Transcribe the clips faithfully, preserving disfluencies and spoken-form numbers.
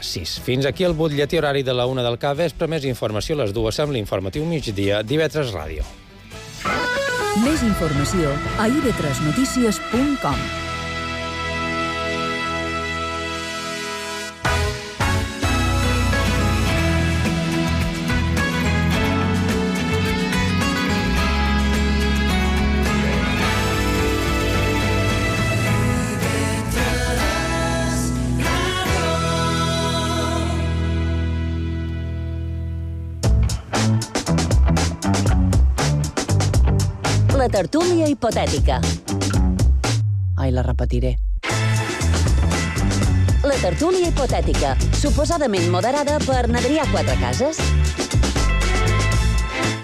sis. Fins aquí el butlletí horari de la una del capvespre. Més informació a les dues amb l'informatiu migdia d'Ivetres Ràdio. Més informació a i ve tres notícies punt com. La tertúlia hipotètica. Ai, la repetiré. La tertúlia hipotètica, suposadament moderada per Adrià Quatrecases.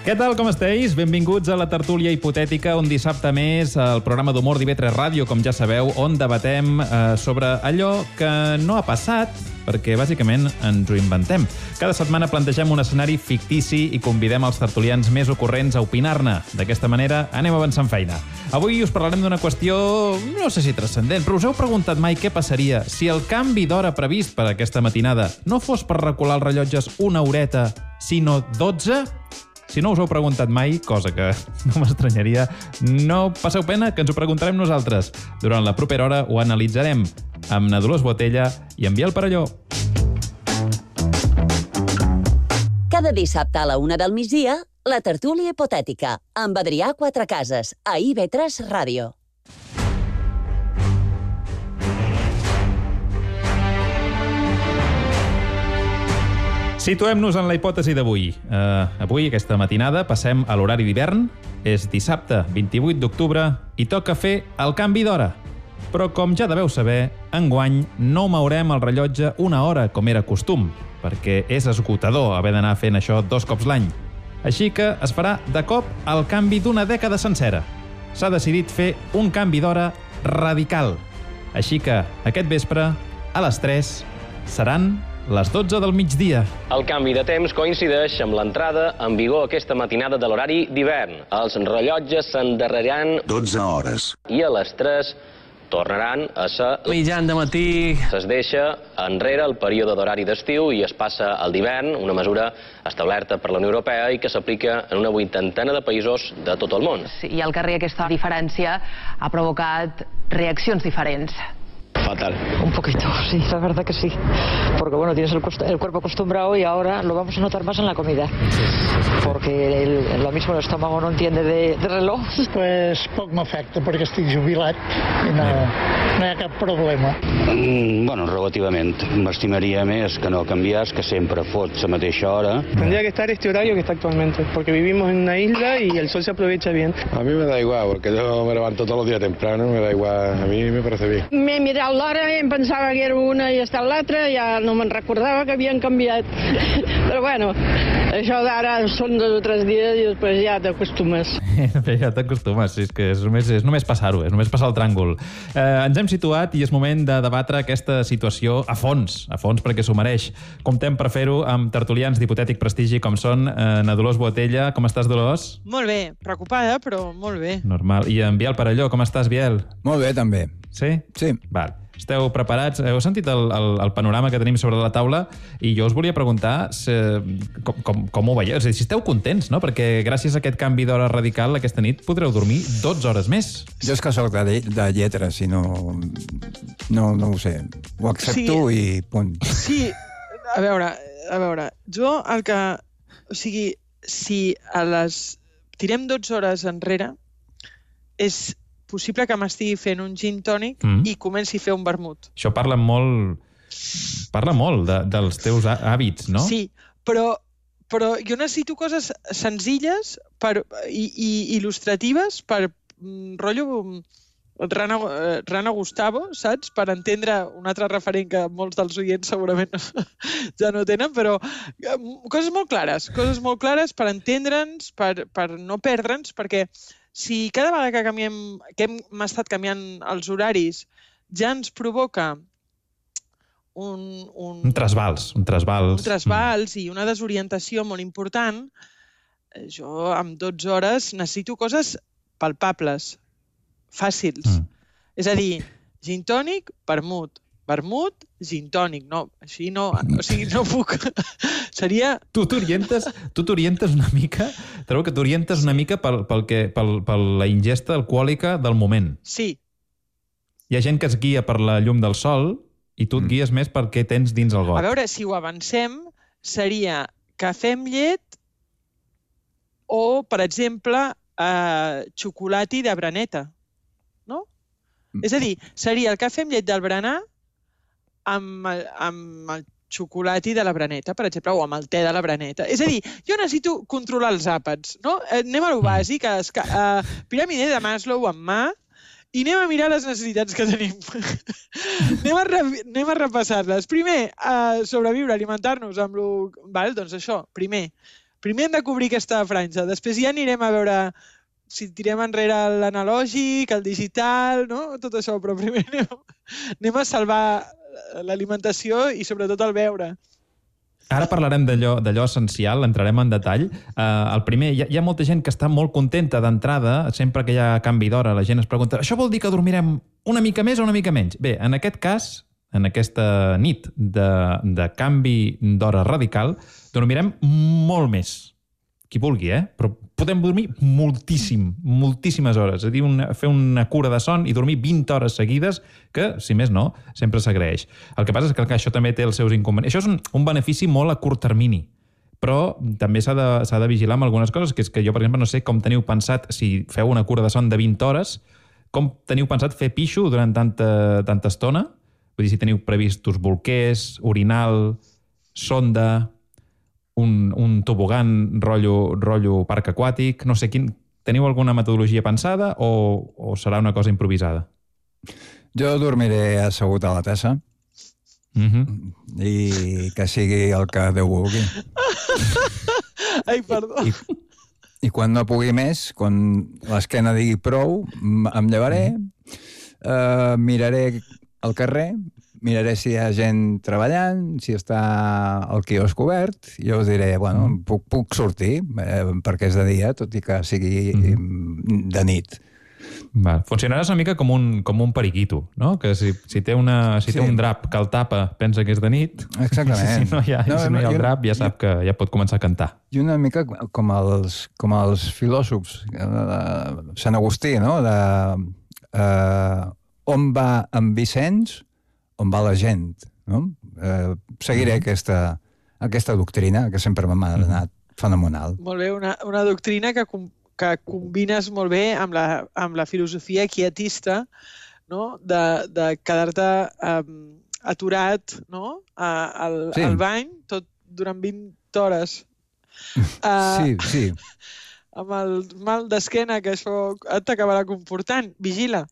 Què tal, com esteu? Benvinguts a la tertúlia hipotètica, un dissabte més, al programa d'humor d'I ve tres Ràdio, com ja sabeu, on debatem eh, sobre allò que no ha passat, perquè bàsicament ens ho inventem. Cada setmana plantegem un escenari fictici i convidem els tertulians més ocorrents a opinar-ne. D'aquesta manera anem avançant feina. Avui us parlarem d'una qüestió, no sé si transcendent, però us heu preguntat mai què passaria si el canvi d'hora previst per aquesta matinada no fos per recular els rellotges una horeta, sinó dotze? Si no us ho heu preguntat mai, cosa que no m'estranyaria, no passeu pena, que ens ho preguntarem nosaltres. Durant la propera hora ho analitzarem amb na Dolors Botella i en Biel Parelló. Cada dissabte a la una del migdia, la tertúlia hipotètica, amb Adrià Quatrecases, a I ve tres Ràdio. Situem-nos en la hipòtesi d'avui. Uh, avui, aquesta matinada, passem a l'horari d'hivern. És dissabte, vint-i-vuit d'octubre, i toca fer el canvi d'hora. Però, com ja deveu saber, enguany no mourem el rellotge una hora, com era costum, perquè és esgotador haver d'anar fent això dos cops l'any. Així que es farà de cop el canvi d'una dècada sencera. S'ha decidit fer un canvi d'hora radical. Així que aquest vespre, a les tres, seran les dotze del migdia. El canvi de temps coincideix amb l'entrada en vigor aquesta matinada de l'horari d'hivern. Els rellotges s'endarreriran dotze hores. I a les tres tornaran a ser mitjan de matí. Es deixa enrere el període d'horari d'estiu i es passa al d'hivern, una mesura establerta per la Unió Europea i que s'aplica en una vuitantena de països de tot el món. Sí, i al carrer aquesta diferència ha provocat reaccions diferents. Fatal. Un poquito, sí, la verdad que sí. Porque, bueno, tienes el, el cuerpo acostumbrado y ahora lo vamos a notar más en la comida. Porque el, lo mismo el estómago no entiende de, de reloj. Pues poc m'afecta perquè estic jubilat i no, no hi ha cap problema. Mm, bueno, relativament. M'estimaria més que no canviés, que sempre fot la mateixa hora. Tendría que estar este horario que está actualmente, porque vivimos en una isla y el sol se aprovecha bien. A mí me da igual, porque yo me levanto todos los días temprano, me da igual, a mí me parece bien. M'he mirat l'hora i em pensava que era una i està l'altra, ja no me'n recordava que havien canviat. Però bueno, això d'ara són dos o tres dies i després ja t'acostumes. Ja t'acostumes, sí, és que és només, és només passar-ho, és només passar el tràngol. Eh, ens hem situat i és moment de debatre aquesta situació a fons, a fons perquè s'ho mereix. Comptem per fer-ho amb tertulians d'hipotètic prestigi com són eh, na Dolors Botella. Com estàs, Dolors? Molt bé, preocupada, però molt bé. Normal. I en Biel Parelló, com estàs, Biel? Molt bé, també. Sí? Sí. Val. Esteu preparats? Heu sentit el, el, el panorama que tenim sobre la taula? I jo us volia preguntar si, com, com, com ho veieu. És a dir, si esteu contents, no? Perquè gràcies a aquest canvi d'hora radical aquesta nit podreu dormir dotze hores més. Jo és que soc de, de lletres i no, no, no ho sé. Ho accepto sí. I punt. Sí, a veure, a veure, jo el que... O sigui, si a les... tirem dotze hores enrere, és possible que m'estigui fent un gin tònic mm. i comenci a fer un vermut. Això parla molt, parla molt de, dels teus hàbits, no? Sí, però, però jo necessito coses senzilles per, i, i il·lustratives per mm, rotllo Rana, Rana Gustavo, saps? Per entendre un altre referent que molts dels oients segurament ja no tenen, però coses molt clares, coses molt clares per entendre'ns, per, per no perdre'ns, perquè si cada vegada que, canviem, que hem estat canviant els horaris ja ens provoca un... Un, un trasbals. Un trasbals, un trasbals mm. i una desorientació molt important, jo amb dotze hores necessito coses palpables, fàcils. Mm. És a dir, gin tònic, vermut, vermut, gin tònic. No, així no, o sigui, no puc... Seria... Tu t'orientes tu t'orientes una mica, trobo que t'orientes una mica pel, pel que, pel, per la ingesta alcohòlica del moment. Sí. Hi ha gent que es guia per la llum del sol i tu et guies més per què tens dins el got. A veure, si ho avancem, seria cafè amb llet o, per exemple, eh, xocolati de braneta, no? És a dir, seria el cafè amb llet del berenar amb el, amb el xocolati de la braneta, per exemple, o amb el te de la braneta. És a dir, jo necessito controlar els àpats, no? Anem a lo bàsic, a uh, piràmide de Maslow en mà, i anem a mirar les necessitats que tenim. anem, a anem a repassar-les. Primer, uh, sobreviure, alimentar-nos amb lo... Val? Doncs això, primer. Primer hem de cobrir aquesta franja. Després ja anirem a veure si tirem enrere l'analògic, el digital, no? Tot això, però primer anem, anem a salvar l'alimentació i sobretot el beure. Ara parlarem d'allò essencial, entrarem en detall. Uh, el primer, hi ha, hi ha molta gent que està molt contenta d'entrada, sempre que hi ha canvi d'hora, la gent es pregunta, això vol dir que dormirem una mica més o una mica menys? Bé, en aquest cas, en aquesta nit de, de canvi d'hora radical, dormirem molt més. Qui vulgui, eh? Però podem dormir moltíssim, moltíssimes hores. És a dir, una, fer una cura de son i dormir vint hores seguides, que, si més no, sempre s'agraeix. El que passa és que, que això també té els seus inconvenients. Això és un, un benefici molt a curt termini, però també s'ha de, s'ha de vigilar amb algunes coses, que és que jo, per exemple, no sé com teniu pensat, si feu una cura de son de vint hores, com teniu pensat fer pixo durant tanta, tanta estona? Vull dir, si teniu previstos bolquers, orinal, sonda... Un, un tobogan rotllo, rotllo parc aquàtic, no sé, quin, teniu alguna metodologia pensada o, o serà una cosa improvisada? Jo dormiré assegut a la tassa mm-hmm. i que sigui el que Déu vulgui. Ai, perdó. I, I quan no pugui més, quan l'esquena digui prou, em llevaré, eh, miraré el carrer, miraré si hi ha gent treballant, si està el quiosc obert, i jo us diré, bueno, puc, puc sortir, eh, perquè és de dia, tot i que sigui mm. de nit. Val. Funcionaràs una mica com un, com un periquito, no? Que si, si, té, una, si sí. té un drap que el tapa, pensa que és de nit. Exactament. Si no hi ha, no, si no hi ha el drap, ja sap que ja pot començar a cantar. I una mica com els, com els filòsofs, Sant Agustí, no? De, eh, on va en Vicenç, on va la gent, no? Eh, seguiré mm-hmm. aquesta, aquesta doctrina, que sempre m'ha anat fenomenal. Molt bé, una, una doctrina que, que combines molt bé amb la, amb la filosofia quietista, no? De, de quedar-te um, aturat, no? A, al, sí. al bany tot durant vint hores. Uh, sí, sí. Amb el mal d'esquena que això t'acabarà comportant. Vigila.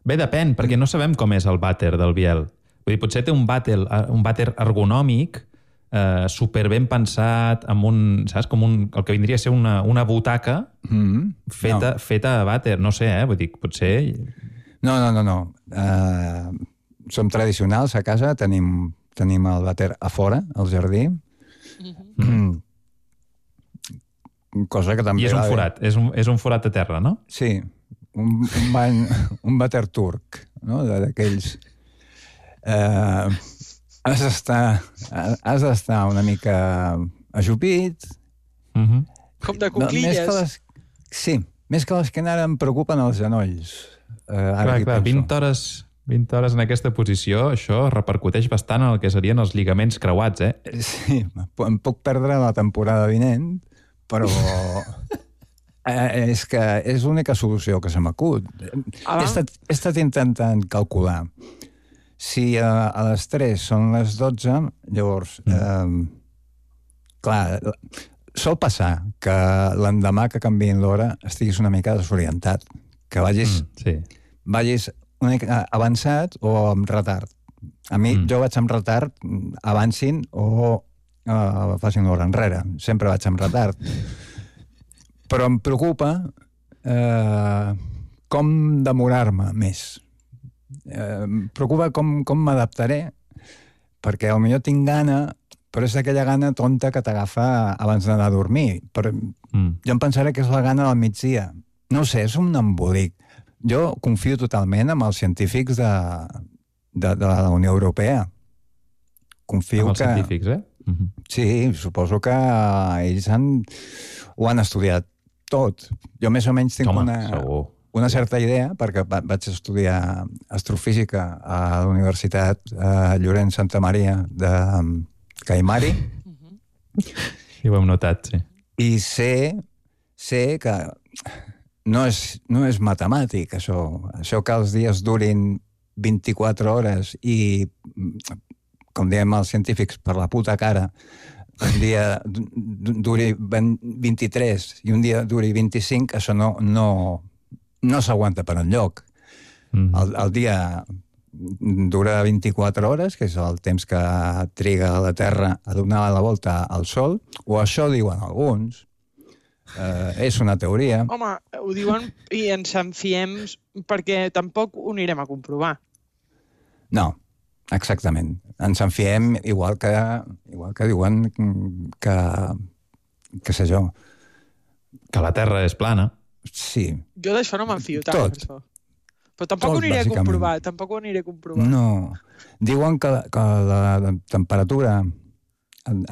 Bé, depèn, perquè no sabem com és el vàter del Biel. Vull dir, potser té un vàter, un vàter ergonòmic eh, super ben pensat, amb un, saps, com un, el que vindria a ser una, una butaca mm-hmm. feta, no. feta a vàter. No sé, eh? Vull dir, potser... No, no, no, no. Uh, som tradicionals a casa, tenim, tenim el vàter a fora, al jardí. Mm-hmm. Cosa que també... I és un forat, és un, és un forat a terra, no? Sí. Un, un, bany, un vàter turc, no? D'aquells... Eh, has d'estar has d'estar una mica ajupit. Mm-hmm. Com de cuclilles. No, més les, sí, més que les que ara em preocupen els genolls. Eh, ara clar, clar, vint hores, vint hores en aquesta posició, això repercuteix bastant en el que serien els lligaments creuats, eh? Sí, em puc perdre la temporada vinent, però... Eh, és que és l'única solució que se m'acut. Ah. He, estat, he estat intentant calcular. Si a, a les tres són les dotze, llavors, mm. eh, clar, sol passar que l'endemà que canviïn l'hora estiguis una mica desorientat, que vagis, mm, sí. vagis una mica avançat o amb retard. A mi, mm. jo vaig amb retard, avancin o eh, facin l'hora enrere. Sempre vaig amb retard. Però em preocupa eh, com demorar-me més. Eh, em preocupa com, com m'adaptaré, perquè potser tinc gana, però és aquella gana tonta que t'agafa abans d'anar a dormir. Però mm. jo em pensaré que és la gana del migdia. No ho sé, és un embolic. Jo confio totalment en els científics de, de, de la Unió Europea. Confio amb els que... científics, eh? Uh-huh. Sí, suposo que ells han, ho han estudiat tot. Jo més o menys tinc Home, una, segur. una certa idea, perquè va, vaig estudiar astrofísica a la Universitat eh, Llorenç Santa Maria de Caimari. I ho hem notat, sí. I sé, sé que no és, no és matemàtic, això. Això que els dies durin vint-i-quatre hores i, com diem els científics, per la puta cara, un dia duri vint-i-tres i un dia duri vint-i-cinc, això no, no, no s'aguanta per enlloc. Mm. El, el dia dura vint-i-quatre hores, que és el temps que triga la Terra a donar la volta al Sol, o això diuen alguns. Eh, és una teoria. Home, ho diuen i ens en fiem perquè tampoc ho anirem a comprovar. No, exactament. Ens en fiem igual que, igual que diuen que, que sé jo. Que la Terra és plana. Sí. Jo d'això no me'n fio tant, Tot. per això. Però tampoc Tot, ho aniré a bàsicament. comprovar, tampoc ho aniré a comprovar. No. Diuen que, que la temperatura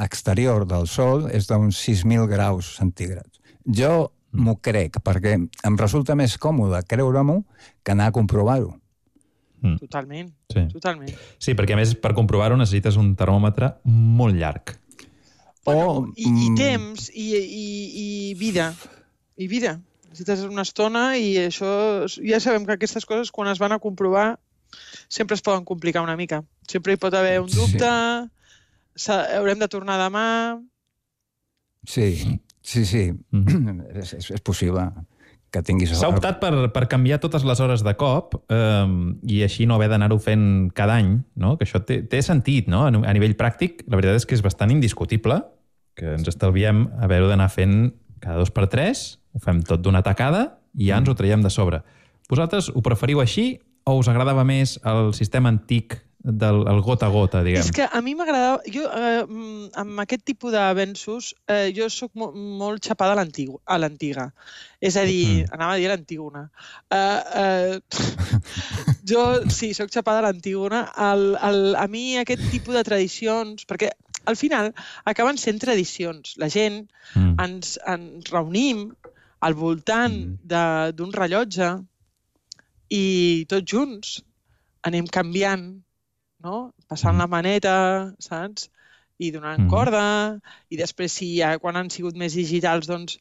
exterior del Sol és d'uns sis mil graus centígrads. Jo m'ho crec, perquè em resulta més còmode creure-m'ho que anar a comprovar-ho. Mm. Totalment, Sí. totalment. Sí, perquè a més per comprovar-ho necessites un termòmetre molt llarg. Bueno, O, i, i mm, temps, i, i, i vida. I vida. Necessites una estona i això... Ja sabem que aquestes coses, quan es van a comprovar, sempre es poden complicar una mica. Sempre hi pot haver un dubte, sí. Haurem de tornar demà... Sí, sí, sí. Mm. és, és, és possible que tinguis... S'ha optat per, per canviar totes les hores de cop eh, i així no haver d'anar-ho fent cada any, no? Que això té, té sentit, no? A nivell pràctic, la veritat és que és bastant indiscutible, que ens estalviem haver-ho d'anar fent cada dos per tres, ho fem tot d'una tacada i ja ens ho traiem de sobre. Vosaltres ho preferiu així o us agradava més el sistema antic del el gota a gota, diguem? És que a mi m'agradava... Jo, eh, amb aquest tipus d'avenços, eh, jo sóc mo molt xapada a l'antiga. a l'antiga. És a dir, mm. anava a dir l'antígona. Uh, uh, jo, sí, sóc xapada a l'antígona. El, el, a mi aquest tipus de tradicions... Perquè al final acaben sent tradicions. La gent mm. ens, ens reunim al voltant mm. d'un rellotge i tots junts anem canviant, no? Passant la maneta, saps? I donant mm. corda, i després, si ja, quan han sigut més digitals, doncs,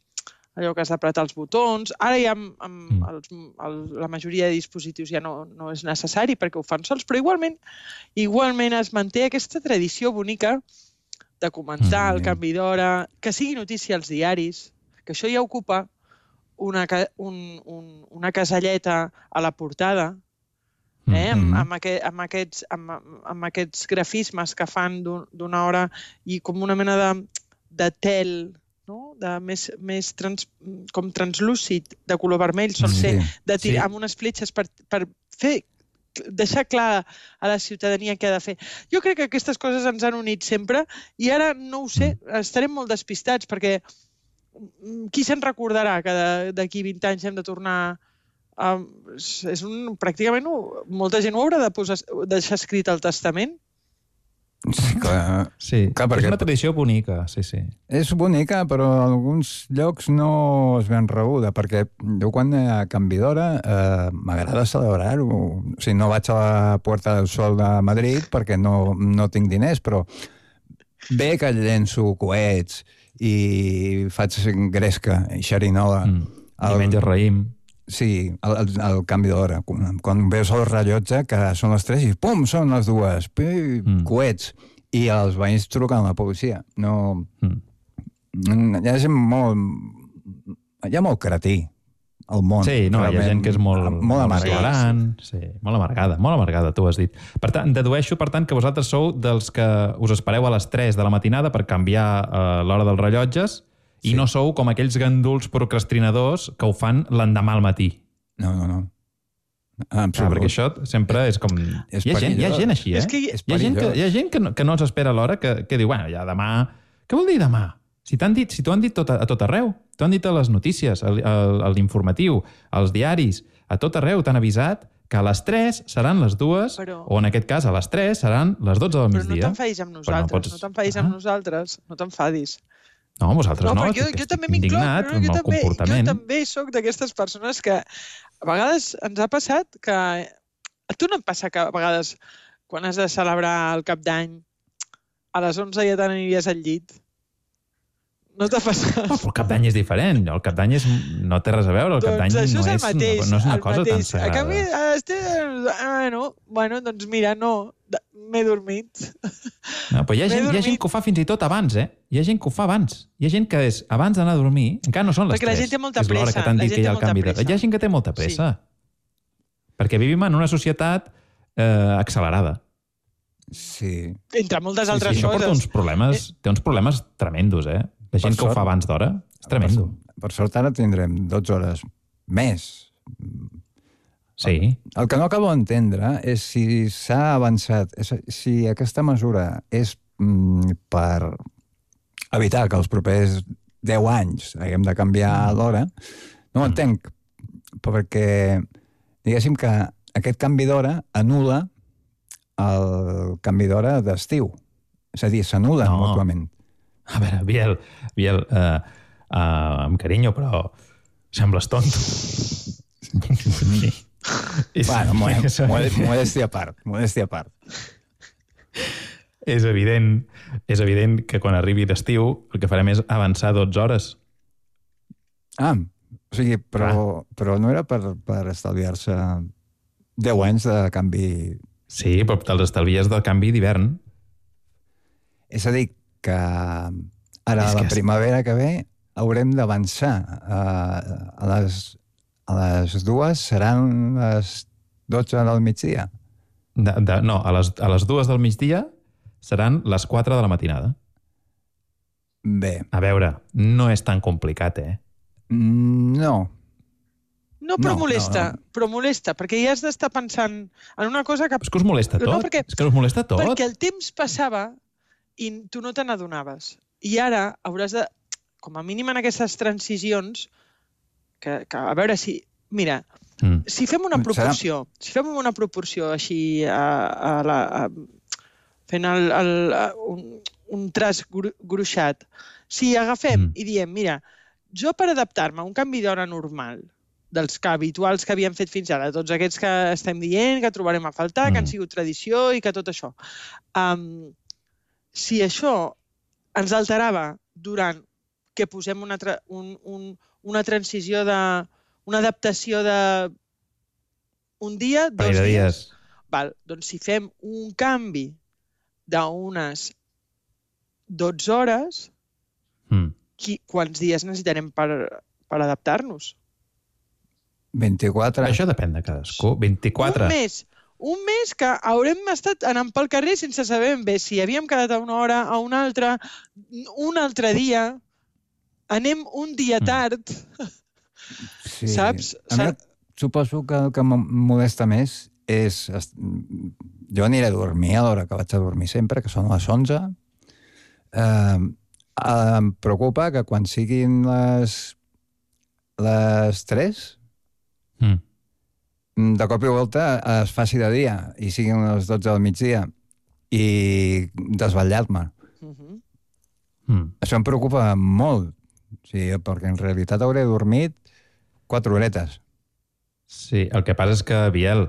allò que has d'apretar els botons. Ara ja amb, amb mm. els, el, la majoria de dispositius ja no, no és necessari perquè ho fan sols, però igualment, igualment es manté aquesta tradició bonica de comentar mm. el canvi d'hora, que sigui notícia als diaris, que això ja ocupa una, un, un, una caselleta a la portada, Eh? Amb, amb, aquest, amb, aquests, amb, amb aquests grafismes que fan d'una hora i com una mena de, de tel, no? De més, més trans, com translúcid, de color vermell, sol ser, sí. de tirar sí. amb unes fletxes per, per fer, deixar clar a la ciutadania què ha de fer. Jo crec que aquestes coses ens han unit sempre i ara no ho sé, estarem molt despistats perquè qui se'n recordarà que d'aquí vint anys hem de tornar... Um, és un, pràcticament molta gent ho haurà de posar, deixar escrit al testament. Sí, clar. Sí, clar, perquè... és una tradició bonica, sí, sí. És bonica, però en alguns llocs no es ben rebuda, perquè jo quan a Canvi d'Hora eh, m'agrada celebrar-ho. O sigui, no vaig a la Puerta del Sol de Madrid perquè no, no tinc diners, però bé que llenço coets i faig gresca i xerinola. Mm. El... I menges raïm. Sí, el, el, el canvi d'hora. Quan, quan veus el rellotge, que són les tres i pum, són les dues. Pi, mm. coets. I els veïns truquen a la policia. No... Mm. Hi ha gent molt... Hi ha molt cretí al món. Sí, no, hi ha gent que és molt... Molt amargada. Sí, molt amargada, molt amargada, tu has dit. Per tant, dedueixo, per tant, que vosaltres sou dels que us espereu a les tres de la matinada per canviar uh, l'hora dels rellotges. I sí. no sou com aquells ganduls procrastinadors que ho fan l'endemà al matí. No, no, no. Ah, perquè això sempre és com... És hi, ha gent, hi ha gent així, eh? És que hi... Hi ha gent, que, hi ha gent que, no, que no els espera a l'hora, que, que diu, bueno, ja demà... Què vol dir demà? Si t'han dit, si t'ho han dit tot, a tot arreu. T'ho han dit a les notícies, a l'informatiu, als diaris, a tot arreu t'han avisat que a les tres seran les dues, Però... o en aquest cas a les tres seran les dotze del Però migdia. no t'enfadis amb nosaltres, no, pots... no t'enfadis amb nosaltres, no t'enfadis. No, vosaltres no, no jo, jo, jo també indignat no, amb el també, comportament. Jo també soc d'aquestes persones que a vegades ens ha passat que... A tu no et passa que a vegades quan has de celebrar el cap d'any a les onze ja t'aniries al llit? No t'ha passat? Oh, però el cap d'any és diferent. El cap d'any és... no té res a veure. El cap d'any doncs no, és és, mateix, no, no és una cosa mateix. tan sagrada. A canvi, estic... bueno, bueno, doncs mira, no, m'he dormit. No, però hi ha, gent, hi ha gent que ho fa fins i tot abans, eh? Hi ha gent que ho fa abans. Hi ha gent que és abans d'anar a dormir, encara no són les Perquè tres. La gent té molta és l'hora pressa. que t'han dit que hi ha el canvi de... Pressa. Hi ha gent que té molta pressa. Sí. Perquè vivim en una societat eh, accelerada. Sí. Entre moltes sí, altres sí, coses. Això porta uns problemes, té uns problemes tremendos, eh? La gent que ho fa abans d'hora és tremendo. Per, per sort ara tindrem dotze hores més. Sí. El, el que no acabo d'entendre és si s'ha avançat, és, si aquesta mesura és mm, per evitar que els propers deu anys haguem de canviar l'hora, no ho entenc, perquè diguéssim que aquest canvi d'hora anul·la el canvi d'hora d'estiu. És a dir, s'anul·len no. mútuament. A veure, Biel, Biel uh, uh, amb carinyo, però sembles tonto. Bueno, modèstia a part, modèstia a part. És evident, és evident que quan arribi l'estiu el que farem és avançar dotze hores. Ah, o sigui, però, però no era per, per estalviar-se deu anys de canvi... Sí, però te'ls estalvies del canvi d'hivern. És a dir, que ara a la primavera que ve haurem d'avançar. Uh, a, les, a les dues seran les dotze del migdia. De, de, no, a les, a les dues del migdia seran les quatre de la matinada. Bé. A veure, no és tan complicat, eh? No. No, però no, molesta, no, no. però molesta, perquè ja has d'estar pensant en una cosa que... És que us molesta tot, no, perquè, és que us molesta tot. Perquè el temps passava i tu no te n'adonaves. I ara hauràs de, com a mínim en aquestes transicions, que, que a veure si... Mira, mm. si fem una proporció, Serà... si fem una proporció així a, a la, a, fent el, el, a, un, un traç gru, gruixat, si agafem mm. i diem, mira, jo per adaptar-me a un canvi d'hora normal, dels que habituals que havíem fet fins ara, tots aquests que estem dient, que trobarem a faltar, mm. que han sigut tradició i que tot això. Um, si això ens alterava durant que posem una, tra un, un, una transició de... una adaptació de un dia, dos dies, dies. Val, doncs si fem un canvi d'unes dotze hores, mm. qui, quants dies necessitarem per, per adaptar-nos? vint-i-quatre. Això depèn de cadascú. vint-i-quatre. Un mes. Un mes que haurem estat anant pel carrer sense saber bé si havíem quedat a una hora, a una altra, un altre dia, anem un dia tard. Sí. Saps? A mi, suposo que el que em molesta més és... Jo aniré a dormir a l'hora que vaig a dormir sempre, que són les onze. Eh, em preocupa que quan siguin les, les tres... Mm. de cop i volta es faci de dia i siguin les dotze del migdia i desvetllar-me. Uh-huh. mm. Això em preocupa molt, sí, perquè en realitat hauré dormit quatre horetes. Sí, el que passa és que, Biel,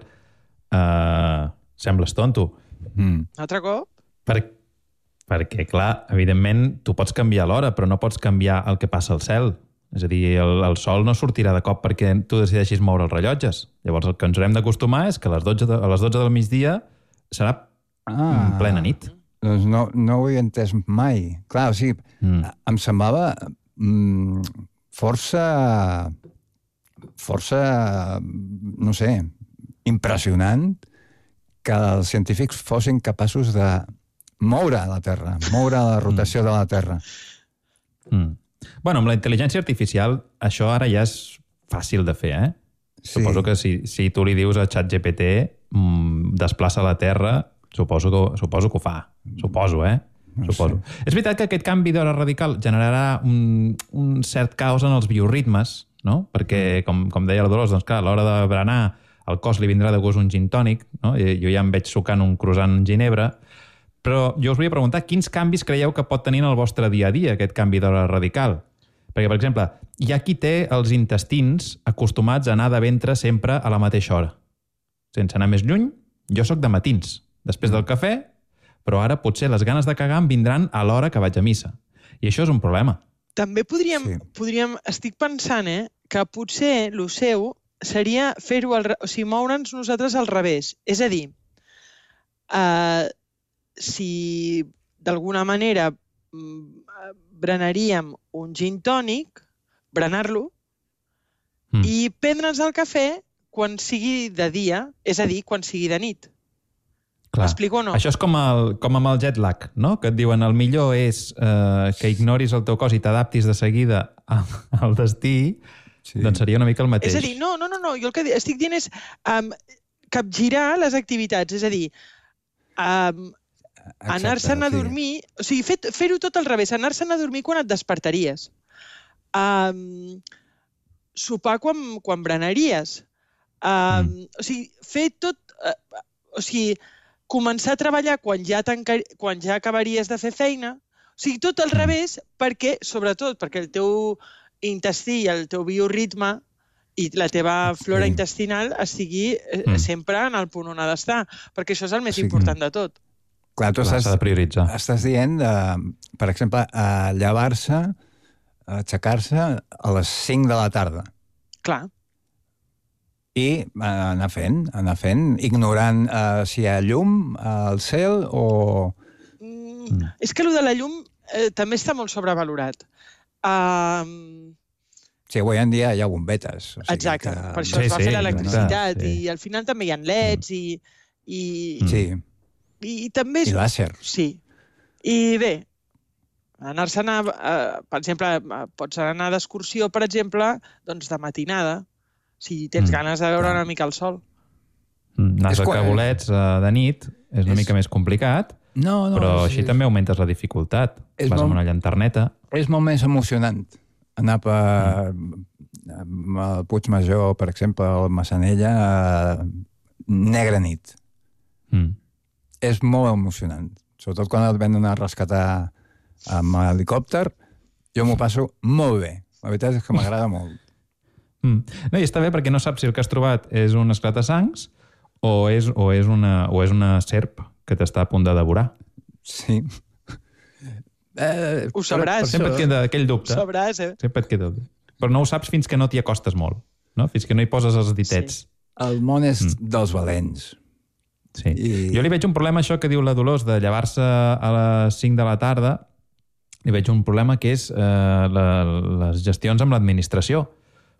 uh, sembles tonto. Mm. Altre cop? Per, perquè, clar, evidentment, tu pots canviar l'hora, però no pots canviar el que passa al cel. És a dir, el, el sol no sortirà de cop perquè tu decideixis moure els rellotges. Llavors, el que ens haurem d'acostumar és que a les dotze, de, a les dotze del migdia serà ah, plena nit. Doncs no, no ho he entès mai. Clar, o sigui, mm. em semblava mm, força... força, no sé, impressionant que els científics fossin capaços de moure la Terra, moure la rotació mm. de la Terra. Mm. Bueno, amb la intel·ligència artificial això ara ja és fàcil de fer, eh? Sí. Suposo que si, si tu li dius a ChatGPT mmm, desplaça la Terra, suposo que, suposo que ho fa. Suposo, eh? No suposo. Sé. És veritat que aquest canvi d'hora radical generarà un, un cert caos en els bioritmes, no? Perquè, com, com deia la Dolors, doncs clar, a l'hora de berenar al cos li vindrà de gust un gin tònic, no? Jo ja em veig sucant un croissant en ginebra, però jo us volia preguntar quins canvis creieu que pot tenir en el vostre dia a dia aquest canvi d'hora radical? Perquè, per exemple, hi ha qui té els intestins acostumats a anar de ventre sempre a la mateixa hora. Sense anar més lluny, jo sóc de matins, després del cafè, però ara potser les ganes de cagar em vindran a l'hora que vaig a missa. I això és un problema. També podríem, sí. podríem estic pensant, eh, que potser el seu seria fer-ho, o sigui, moure'ns nosaltres al revés. És a dir, eh, si d'alguna manera brenaríem un gin tònic, brenar-lo, mm. i prendre'ns el cafè quan sigui de dia, és a dir, quan sigui de nit. M'explico o no? Això és com, el, com amb el jet lag, no? Que et diuen el millor és eh, que ignoris el teu cos i t'adaptis de seguida al destí, sí. Doncs seria una mica el mateix. És a dir, no, no, no, no. Jo el que estic dient és um, capgirar les activitats, és a dir, um, anar-se'n a dormir, sí. O sigui, fer-ho fer tot al revés, anar-se'n a dormir quan et despertaries, um, sopar quan, quan brenaries, um, mm. o sigui, fer tot, uh, o sigui, començar a treballar quan ja, quan ja acabaries de fer feina, o sigui, tot al revés, perquè, sobretot, perquè el teu intestí i el teu bioritme i la teva flora sí. intestinal estigui mm. sempre en el punt on ha d'estar, perquè això és el més sí. important de tot. Clar, tu Clar, estàs, de prioritzar. Estàs dient, de, per exemple, a llevar-se, a aixecar-se a les cinc de la tarda. Clar. I anar fent, anar fent, ignorant uh, si hi ha llum al cel o... Mm, és que allò de la llum eh, també està molt sobrevalorat. Uh... Sí, avui en dia hi ha bombetes. O sigui exacte, que... per això sí, es va sí, fer l'electricitat sí. i al final també hi ha leds i... i... Sí. I, i també... És... I làser. Sí. I bé, anar-se'n a... Uh, per exemple, pots anar d'excursió, per exemple, doncs de matinada, si tens mm. ganes de veure una mica el sol. Mm, anar a bolets uh, de nit és una és... mica més complicat, no, no, però és... així també augmentes la dificultat. És Vas molt... amb una llanterneta. És molt més emocionant anar per mm. el Puigmajor, per exemple, o Massanella, a negra nit. Mm. És molt emocionant. Sobretot quan et venen a rescatar amb helicòpter, jo m'ho passo molt bé. La veritat és que m'agrada molt. Mm. No, i està bé perquè no saps si el que has trobat és un esclata-sangs o és, o, és una, o és una serp que t'està a punt de devorar. Sí. Eh, ho sabràs. Sempre et queda aquell dubte. Ho sabràs, eh? Sempre et queda. Però no ho saps fins que no t'hi acostes molt, no? Fins que no hi poses els ditets. Sí. El món és mm. dels valents. Sí. I... Jo li veig un problema, això que diu la Dolors, de llevar-se a les cinc de la tarda, li veig un problema que és eh, la, les gestions amb l'administració,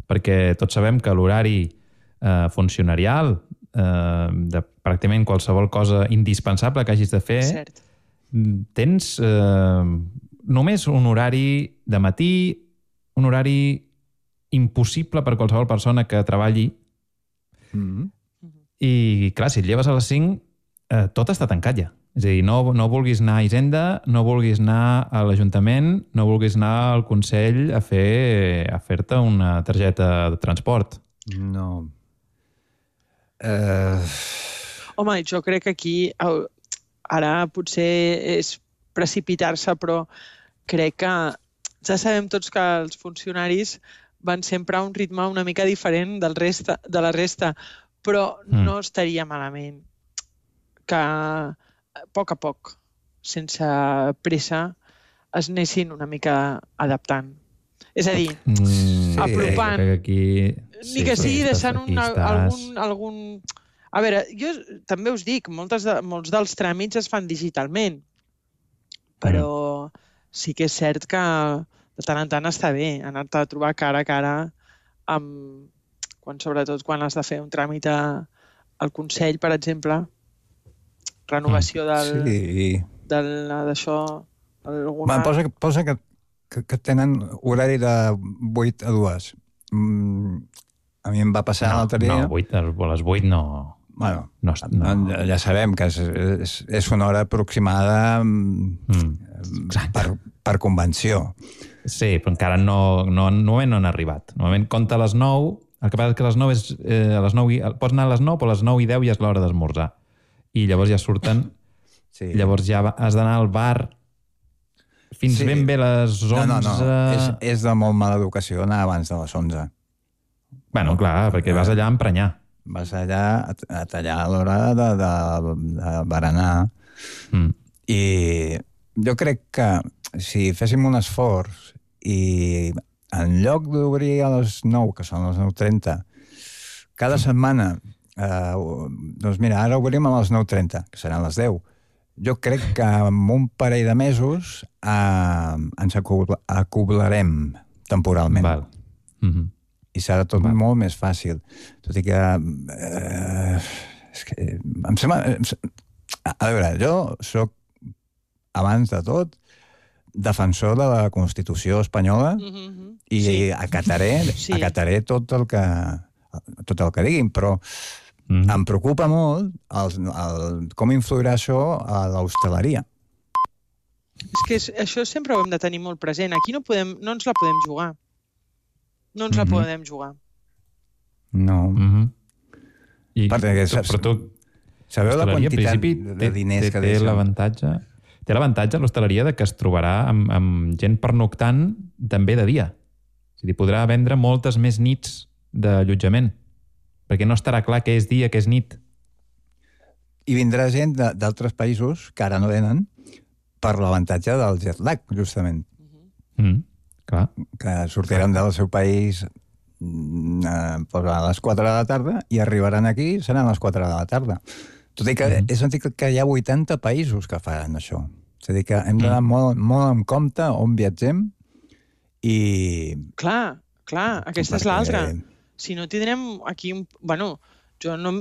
perquè tots sabem que l'horari eh, funcionarial eh, de pràcticament qualsevol cosa indispensable que hagis de fer, Cert. tens eh, només un horari de matí, un horari impossible per qualsevol persona que treballi. Mm-hmm. I, clar, si et lleves a les cinc, eh, tot està tancat ja. És a dir, no, no vulguis anar a Hisenda, no vulguis anar a l'Ajuntament, no vulguis anar al Consell a fer a fer-te una targeta de transport. No. Uh... Home, jo crec que aquí ara potser és precipitar-se, però crec que ja sabem tots que els funcionaris van sempre a un ritme una mica diferent del resta, de la resta, però mm. no estaria malament que a poc a poc, sense pressa, es anessin una mica adaptant. És a dir, mm, apropant, sí, aquí... ni que sigui deixant un, algun, algun... A veure, jo també us dic, moltes de, molts dels tràmits es fan digitalment, però mm. sí que és cert que de tant en tant està bé anar-te a trobar cara a cara amb... Quan, sobretot quan has de fer un tràmit a, al Consell, per exemple, renovació del... Sí. Del, d'això... Alguna... Posa, posa que, que, que tenen horari de vuit a dues. Mm, a mi em va passar no, l'altre dia... No, vuit, a les vuit no... Bueno, no, no. ja sabem que és, és, és una hora aproximada mm. per, per convenció. Sí, però encara no, no, no, no han arribat. Normalment compta a les nou El que passa és que a les nou, és, eh, a les nou i, pots anar a les nou, però a les nou i deu ja és l'hora d'esmorzar. I llavors ja surten... Sí. Llavors ja has d'anar al bar fins sí. ben bé les onze... No, no, no. És, és de molt mala educació anar abans de les onze. Bueno, clar, perquè vas allà a emprenyar. Vas allà a, a tallar a l'hora de, de, de berenar. Mm. I jo crec que si féssim un esforç i en lloc d'obrir a les nou, que són les nou trenta, cada setmana, eh, doncs mira, ara obrim a les nou trenta, que seran les deu. Jo crec que en un parell de mesos eh, ens acoblarem temporalment. Val. Mm-hmm. I serà tot Val. molt més fàcil. Tot i que... Eh, és que em sembla... A veure, jo soc, abans de tot, defensor de la Constitució espanyola mm-hmm. i sí. acataré, sí. acataré tot el que tot el que diguin, però mm. em preocupa molt el, el, com influirà això a l'hostaleria. És que és, això sempre ho hem de tenir molt present. Aquí no, podem, no ens la podem jugar. No ens mm-hmm. la podem jugar. No. Mm-hmm. I, Perquè, tu, però tu... Sabeu la quantitat de diners té, que té deixen? L'avantatge... Té l'avantatge a l'hostaleria de que es trobarà amb, amb gent pernoctant també de dia. És a dir, podrà vendre moltes més nits d'allotjament, perquè no estarà clar què és dia, què és nit. I vindrà gent d'altres països que ara no venen per l'avantatge del jet lag, justament. Mm, clar. Que sortiran del seu país eh, a les quatre de la tarda i arribaran aquí, seran les quatre de la tarda. Tot i que mm. he sentit que hi ha vuitanta països que fan això. És a dir, que hem d'anar mm. molt, molt en compte on viatgem i... Clar, clar, aquesta Perquè... és l'altra. Si no tindrem aquí un... Bueno, jo no...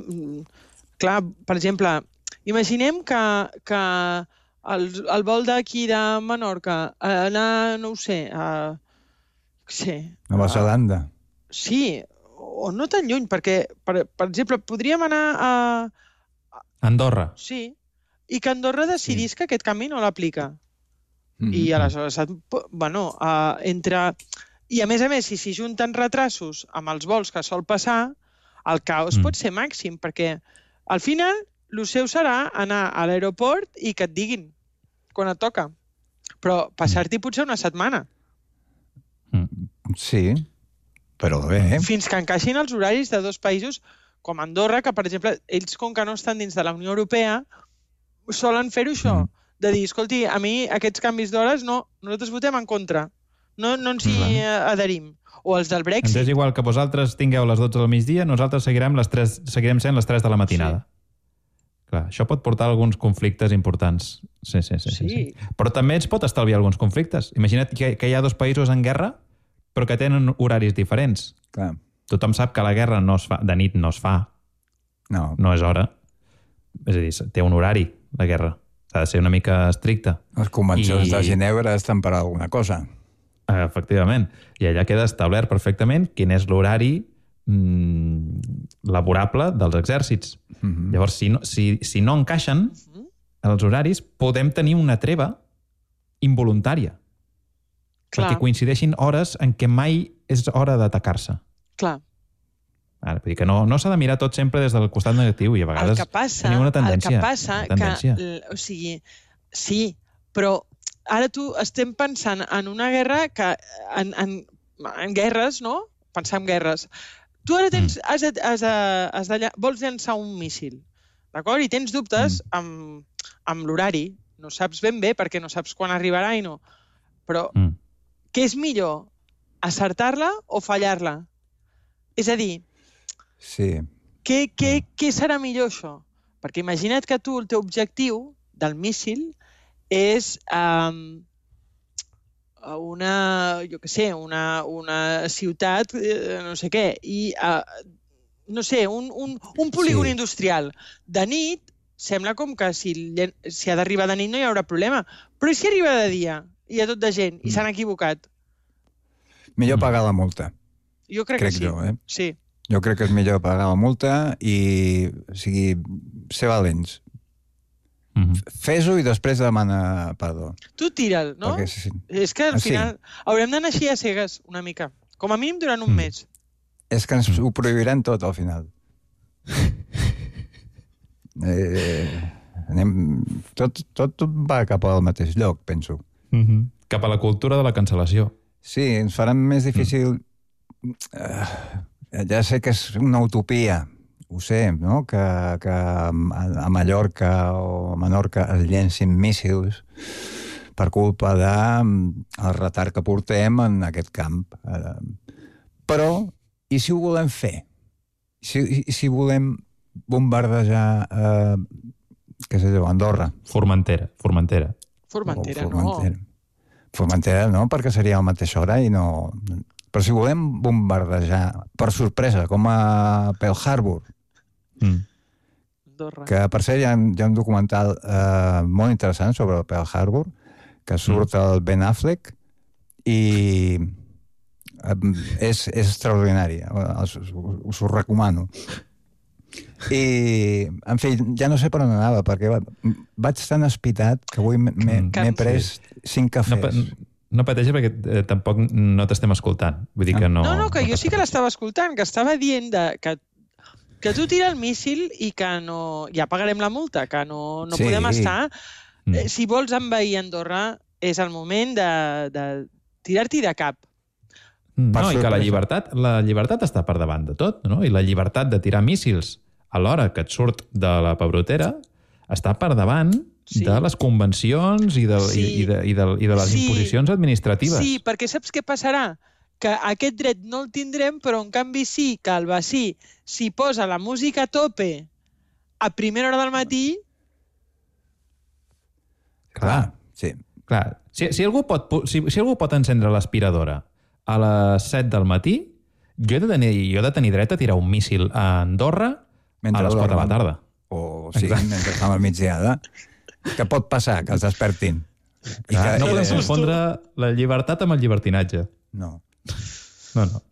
Clar, per exemple, imaginem que, que el, el vol d'aquí de Menorca anar, no ho sé, a... sé, Nova Zelanda. Sí, o no tan lluny, perquè, per, per exemple, podríem anar a... Andorra. Sí, i que Andorra decidís sí. que aquest canvi no l'aplica. Mm-hmm. I aleshores, bueno, uh, entre... I a més a més, si s'hi junten retrasos amb els vols que sol passar, el caos mm. pot ser màxim, perquè al final el seu serà anar a l'aeroport i que et diguin quan et toca. Però passar-t'hi potser una setmana. Mm. Sí, però bé. Fins que encaixin els horaris de dos països com Andorra, que, per exemple, ells, com que no estan dins de la Unió Europea, solen fer-ho això, mm. de dir, escolti, a mi aquests canvis d'hores, no, nosaltres votem en contra, no, no ens hi mm. adherim. O els del Brexit. Ens és igual que vosaltres tingueu les dotze del migdia, nosaltres seguirem, les tres, seguirem sent les tres de la matinada. Sí. Clar, això pot portar alguns conflictes importants. Sí, sí, sí, sí. sí. Però també ens pot estalviar alguns conflictes. Imagina't que, que hi ha dos països en guerra, però que tenen horaris diferents. Clar. Tothom sap que la guerra no es fa, de nit no es fa. No. No és hora. És a dir, té un horari, la guerra. S'ha de ser una mica estricta. Les convencions I... de Ginebra estan per alguna cosa. Efectivament. I allà queda establert perfectament quin és l'horari mmm, laborable dels exèrcits. Mm-hmm. Llavors, si no, si, si no encaixen mm-hmm. els horaris, podem tenir una treva involuntària. Clar. Perquè coincideixin hores en què mai és hora d'atacar-se. Clar. Ara, vull dir que no, no s'ha de mirar tot sempre des del costat negatiu i a vegades el que passa, tenim una tendència. El que passa una tendència. que, o sigui, sí, però ara tu estem pensant en una guerra que, en, en, en guerres, no? Pensar en guerres. Tu ara tens, mm. has, de, has, de, has de, vols llançar un míssil, d'acord? I tens dubtes mm. amb, amb l'horari. No saps ben bé perquè no saps quan arribarà i no. Però mm. què és millor? Acertar-la o fallar-la? És a dir, sí. què, què, què serà millor això? Perquè imagina't que tu, el teu objectiu del míssil és um, una, jo què sé, una, una ciutat, eh, no sé què, i, uh, no sé, un, un, un polígon sí. industrial. De nit, sembla com que si, si ha d'arribar de nit no hi haurà problema, però i si arriba de dia? Hi ha tot de gent i mm. s'han equivocat. Millor pagar la multa. Jo crec, crec que sí. Jo, eh? Sí. Jo crec que és millor pagar la multa i, o sigui, ser valents. Mm-hmm. Fes-ho i després demana perdó. Tu tira'l, no? Perquè, sí. És que al final sí. haurem d'anar així a cegues una mica. Com a mínim durant un mm. mes. és que ens ho prohibiran tot, al final. eh, anem, tot, tot va cap al mateix lloc, penso. Mm-hmm. Cap a la cultura de la cancel·lació. Sí, ens faran més difícil... Mm. Uh, ja sé que és una utopia, ho sé, no? Que, que a Mallorca o a Menorca es llencin míssils per culpa del retard que portem en aquest camp. Uh, però, i si ho volem fer? Si, i si volem bombardejar, eh, què sé jo, Andorra? Formentera, Formentera. Formentera, oh, Formentera. no. Formentera no, perquè seria a la mateixa hora i no... Però si volem bombardejar per sorpresa, com a Pearl Harbor, mm. que per cert hi ha, hi ha un documental eh, molt interessant sobre el Pearl Harbor, que surt mm. el Ben Affleck i eh, és, és extraordinari, us, us ho recomano. I, en fi, ja no sé per on anava, perquè vaig tan espitat que avui m'he pres cinc cafès. No, no pateixi perquè eh, tampoc no t'estem escoltant. Vull dir que no... No, no, que no jo sí que l'estava escoltant, que estava dient de, que, que tu tira el míssil i que no... Ja pagarem la multa, que no, no sí. podem estar... Mm. Eh, si vols envair Andorra, és el moment de, de tirar-t'hi de cap. No, i que la llibertat, la llibertat està per davant de tot, no? I la llibertat de tirar míssils a l'hora que et surt de la pebrotera està per davant sí. de les convencions i de, sí. i, i de, i de, i de les sí. imposicions administratives. Sí, perquè saps què passarà? Que aquest dret no el tindrem, però en canvi sí que el vecí, si posa la música a tope a primera hora del matí... Clar, sí. Clar. Si, si, algú pot, si, si algú pot encendre l'aspiradora a les set del matí, jo he de tenir, jo he de tenir dret a tirar un míssil a Andorra mentre a les quatre de la tarda. O sí, exacte. Mentre fa la migdiada. Que pot passar, que els despertin. I que, no podem confondre la llibertat amb el llibertinatge. No. No, no.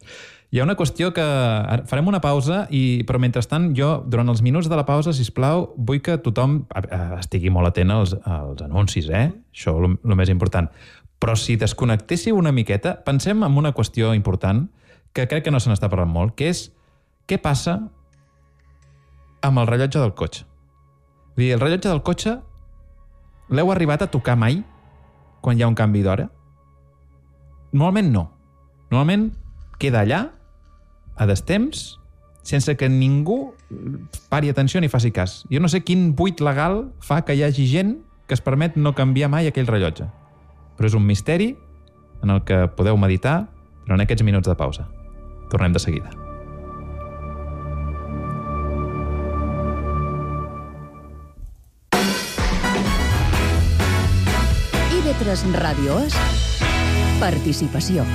Hi ha una qüestió que... Farem una pausa, i però mentrestant jo, durant els minuts de la pausa, sisplau, vull que tothom estigui molt atent als, als anuncis, eh? Això és el més important. Però si desconnectéssiu una miqueta, pensem en una qüestió important que crec que no se n'està parlant molt, que és què passa amb el rellotge del cotxe. Vull dir, el rellotge del cotxe l'heu arribat a tocar mai quan hi ha un canvi d'hora? Normalment no. Normalment queda allà, a destemps, sense que ningú pari atenció ni faci cas. Jo no sé quin buit legal fa que hi hagi gent que es permet no canviar mai aquell rellotge. Però és un misteri en el que podeu meditar durant aquests minuts de pausa. Tornem de seguida. I V tres Ràdio és participació.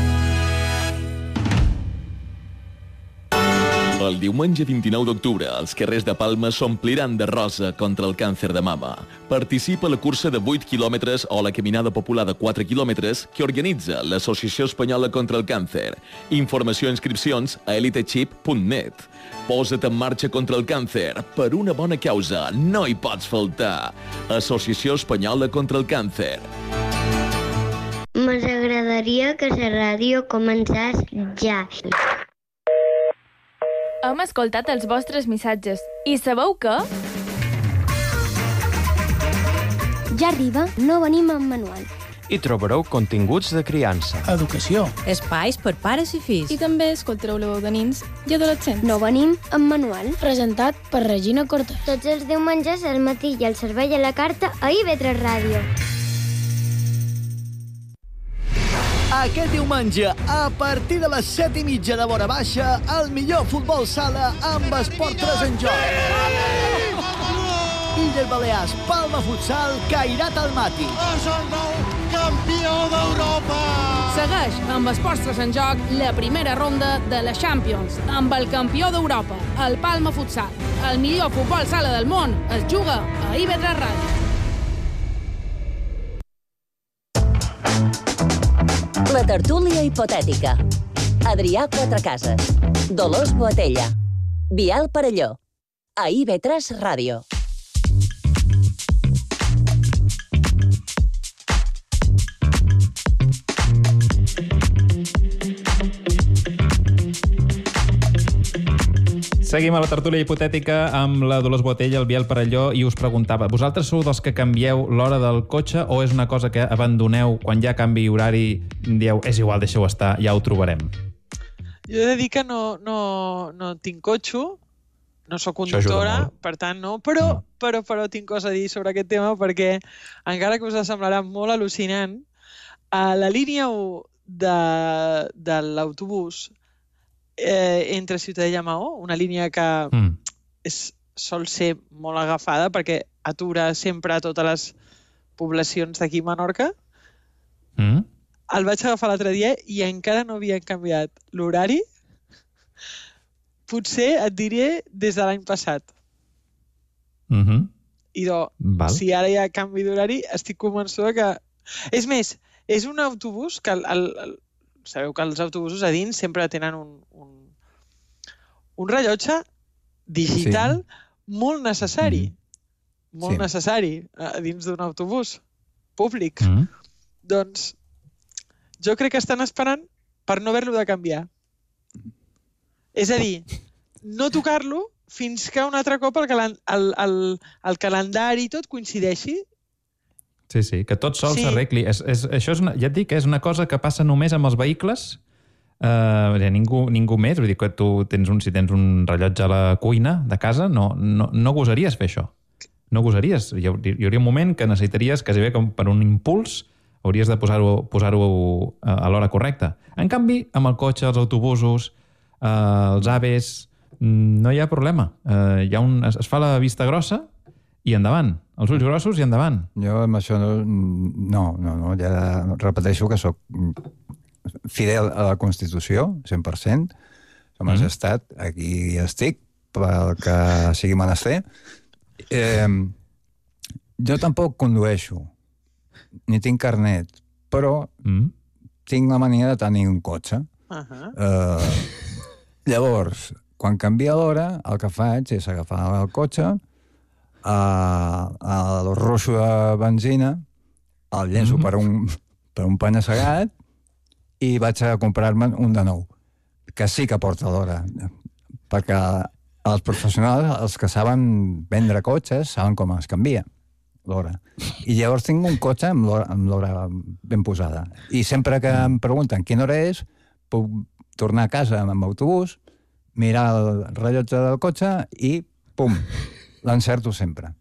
El diumenge vint-i-nou d'octubre, els carrers de Palma s'ompliran de rosa contra el càncer de mama. Participa a la cursa de vuit quilòmetres o la caminada popular de quatre quilòmetres que organitza l'Associació Espanyola contra el Càncer. Informació i inscripcions a elitechip punt net. Posa't en marxa contra el càncer per una bona causa. No hi pots faltar. Associació Espanyola contra el Càncer. Ens agradaria que la ràdio començés ja. Hem escoltat els vostres missatges. I sabeu què? Ja arriba, no venim amb manual. Hi trobareu continguts de criança, educació, espais per pares i fills. I també escoltareu la veu de nins i adolescents. No venim amb manual. Presentat per Regina Cortés. Tots els diumenges al matí i el servei a la carta a I V tres Ràdio. Aquest diumenge, a partir de les set i mitja de vora baixa, el millor futbol sala amb Esport tres en joc. Illes Balears, Palma Futsal, Cairat Almaty. És el nou campió d'Europa! Segueix amb Esports tres en joc la primera ronda de la Champions, amb el campió d'Europa, el Palma Futsal. El millor futbol sala del món es juga a I V tres Ràdio. La tertúlia hipotètica. Adrià Quatrecases. Dolors Boatella. Biel Parelló. A I V tres Ràdio. Seguim a la tertúlia hipotètica amb la Dolors Boatella, el Biel Parelló, i us preguntava, vosaltres sou dels que canvieu l'hora del cotxe o és una cosa que abandoneu quan hi ha canvi horari, dieu, és igual, deixeu estar, ja ho trobarem? Jo he de dir que no, no, no tinc cotxe, no sóc conductora, per tant no, però, però, però tinc cosa a dir sobre aquest tema perquè, encara que us semblarà molt al·lucinant, a la línia u de, de l'autobús eh, entre Ciutadella i Maó, una línia que mm. és, sol ser molt agafada perquè atura sempre a totes les poblacions d'aquí a Menorca, mm. el vaig agafar l'altre dia i encara no havien canviat l'horari. Potser et diré des de l'any passat. Mm-hmm. I do, Val. si ara hi ha canvi d'horari, estic convençuda que... És més, és un autobús que... El, el, el... Sabeu que els autobusos a dins sempre tenen un, un, un rellotge digital sí. molt necessari. Mm-hmm. Molt sí. necessari a dins d'un autobús públic. Mm-hmm. Doncs jo crec que estan esperant per no haver-lo de canviar. És a dir, no tocar-lo fins que un altre cop el, calen el, el, el calendari i tot coincideixi. Sí, sí, que tot sol s'arregli. Sí. És, és, això és una, ja et dic que és una cosa que passa només amb els vehicles. Uh, ningú, ningú més. Vull dir que tu tens un, si tens un rellotge a la cuina de casa, no, no, no gosaries fer això. No gosaries. Hi, hi hauria un moment que necessitaries, quasi bé com per un impuls, hauries de posar-ho posar-ho a l'hora correcta. En canvi, amb el cotxe, els autobusos, eh, els aves, no hi ha problema. Eh, hi ha un, es, es fa la vista grossa i endavant. Els ulls grossos i endavant. Jo amb això no... No, no, no. Ja repeteixo que sóc fidel a la Constitució, cent per cent. Som mm. estat, aquí estic, pel que sigui menester. Eh, jo tampoc condueixo, ni tinc carnet, però mm. tinc la mania de tenir un cotxe. Uh-huh. eh, llavors, quan canvia l'hora, el que faig és agafar el cotxe, el roixo de benzina, el llenço mm. per un, per un penya-segat i vaig a comprar-me un de nou, que sí que porta l'hora, perquè els professionals, els que saben vendre cotxes, saben com es canvia l'hora. I llavors tinc un cotxe amb l'hora ben posada. I sempre que em pregunten quina hora és, puc tornar a casa amb autobús, mirar el rellotge del cotxe i, pum, l'encerto sempre.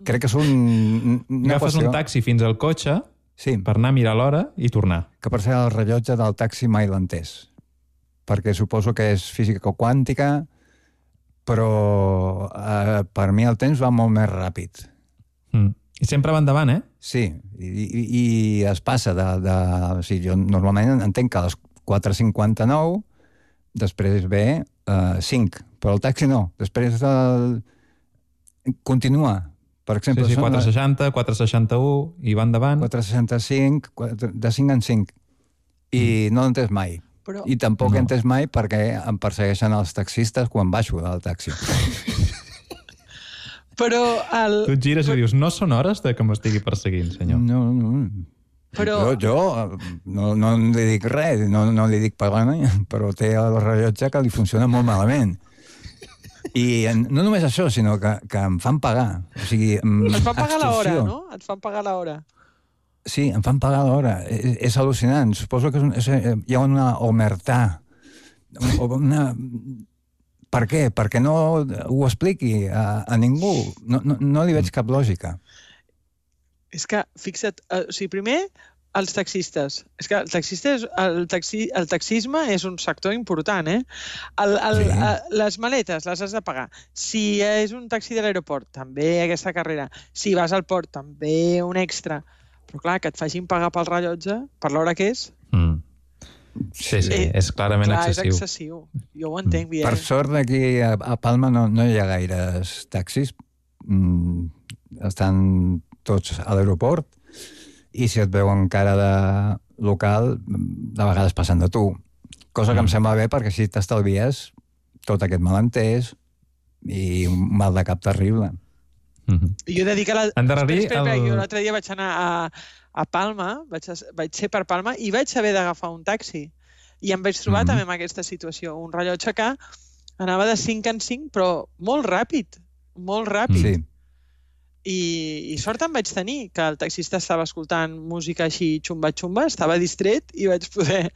Crec que és un... Agafes qüestió... un taxi fins al cotxe sí. per anar a mirar l'hora i tornar. Que per ser el rellotge del taxi mai l'he entès. Perquè suposo que és física quàntica, però eh, per mi el temps va molt més ràpid. Mm. I sempre va endavant, eh? Sí, i, i, i es passa de... de o sigui, jo normalment entenc que a les quatre cinquanta-nou després ve eh, cinc, però el taxi no. Després el... continua. Per exemple, sí, sí, quatre seixanta, quatre seixanta-u i va endavant. quatre seixanta-cinc, de cinc en cinc. I mm. no l'entès mai. Però... I tampoc no. he entès mai perquè em persegueixen els taxistes quan baixo del taxi. Però el... Tu et gires i dius, no són hores de que m'estigui perseguint, senyor. No, no. Però... Jo, jo no, no li dic res, no, no li dic parlant, però té el rellotge que li funciona molt malament. I no només això, sinó que, que em fan pagar. O sigui, et fan pagar l'hora, no? Et fan pagar l'hora. Sí, em fan pagar l'hora. És, és al·lucinant. Suposo que és un, és, hi ha una omertà. Una... Per què? Perquè no ho expliqui a, a ningú. No, no, no li veig cap lògica. És que, fixa't, o sigui, primer, els taxistes. És que el, taxista és, el, taxi, el taxisme és un sector important, eh? El, el, sí. a, les maletes les has de pagar. Si és un taxi de l'aeroport, també aquesta carrera. Si vas al port, també un extra. Però clar, que et facin pagar pel rellotge, per l'hora que és... Mm. Sí, sí, eh, és clarament clar, excessiu. És excessiu. Jo ho entenc, Biel. Per sort, aquí a, a Palma no, no hi ha gaires taxis. Mm, estan tots a l'aeroport i si et veuen cara de local, de vegades passen de tu. Cosa que mm. em sembla bé perquè així t'estalvies tot aquest malentès i un mal de cap terrible. Mm-hmm. Jo he de dir que la... Endarrerir el... jo l'altre dia vaig anar a, a Palma, vaig, a, vaig ser per Palma i vaig haver d'agafar un taxi. I em vaig trobar mm-hmm. també en aquesta situació. Un rellotge que Anava de cinc en cinc, però molt ràpid, molt ràpid. Sí. I, i sort em vaig tenir, que el taxista estava escoltant música així xumba-xumba, estava distret i vaig poder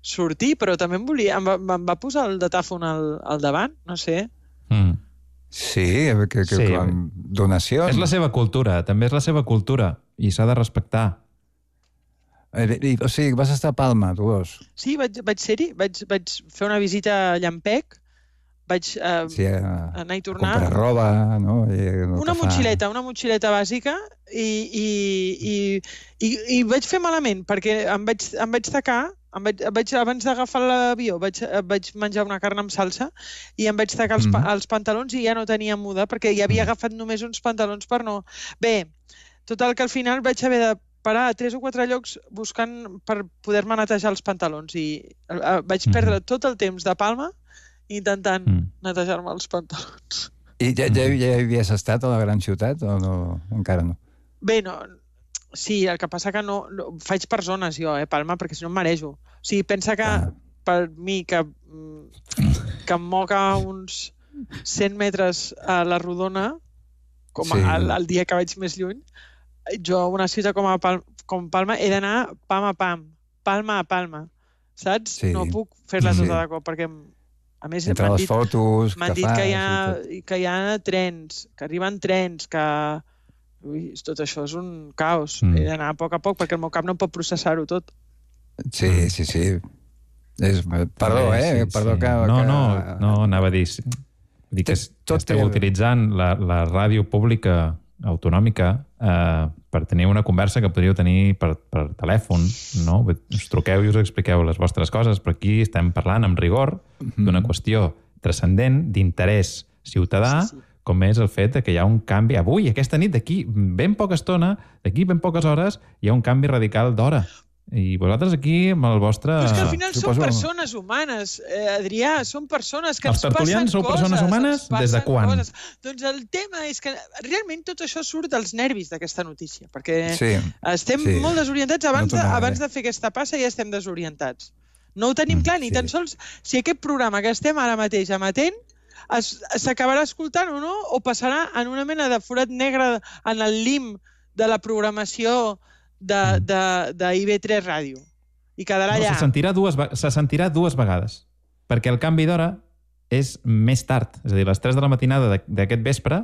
sortir, però també em volia... Em va, em va posar el datàfon al, al davant, no sé. Mm. Sí, que, que, Sí. com donacions. És la seva cultura, també és la seva cultura, i s'ha de respectar. Eh, i, o sigui, vas estar a Palma, tu dos. Sí, vaig, vaig ser-hi, vaig, vaig fer una visita a Llampec, vaig eh, Sí, a, anar i a tornar. comprar roba, no? I, el Una que fa- motxileta, una motxileta bàsica i, i, i, i, i vaig fer malament perquè em vaig, em vaig tacar, em vaig, vaig, abans d'agafar l'avió vaig, vaig menjar una carn amb salsa i em vaig tacar els, pa, Mhm. els pantalons i ja no tenia muda perquè ja havia agafat només uns pantalons per no... Bé, total que al final vaig haver de parar a tres o quatre llocs buscant per poder-me netejar els pantalons i eh, vaig perdre tot el temps de Palma intentant netejar-me els pantalons. I ja, ja, ja havies estat a la gran ciutat o no? Encara no? Bé, no, sí, el que passa que no, no faig per zones jo, eh, Palma, perquè si no em marejo. O sigui, pensa que ah. per mi, que, mm, que em moca uns cent metres a la rodona, com Sí. el, el dia que vaig més lluny, jo a una ciutat com, a Pal com Palma he d'anar pam a pam, palma a palma, saps? Sí. No puc fer-la Sí. tota de cop, perquè a més Entre m'han les dit, fotos m'han que dit fas que hi, i ha, tot. que hi ha trens, que arriben trens, que... Ui, tot això és un caos. Mm. He d'anar a poc a poc perquè el meu cap no pot processar-ho tot. Sí, sí, sí. És, perdó, També, eh? sí, Perdó sí. que... No, que... no, no, anava a dir... Dir que es- Tot esteu té- utilitzant la, la ràdio pública autonòmica eh, per tenir una conversa que podríeu tenir per, per telèfon, no? Us truqueu i us expliqueu les vostres coses, però aquí estem parlant amb rigor d'una qüestió transcendent, d'interès ciutadà, sí, sí. com és el fet de que hi ha un canvi. Avui, aquesta nit, d'aquí ben poca estona, d'aquí ben poques hores, hi ha un canvi radical d'hora. I vosaltres aquí, amb el vostre... Però és que al final Suposo- són persones humanes, eh, Adrià, són persones que Els ens passen tertulians sou coses. persones humanes? ens passen Des de quan? Coses. Doncs el tema és que realment tot això surt dels nervis d'aquesta notícia, perquè Sí, estem sí. molt desorientats. Abans, No de, tornaré. abans de fer aquesta passa ja estem desorientats. No ho tenim clar, ni tan sols si aquest programa que estem ara mateix emetent es- s'acabarà escoltant o no, o passarà en una mena de forat negre en el lim de la programació de, de, de I B tres Ràdio. I quedarà No, allà. se sentirà, dues, ve- se sentirà dues vegades, perquè el canvi d'hora és més tard. És a dir, a les tres de la matinada de- d'aquest vespre,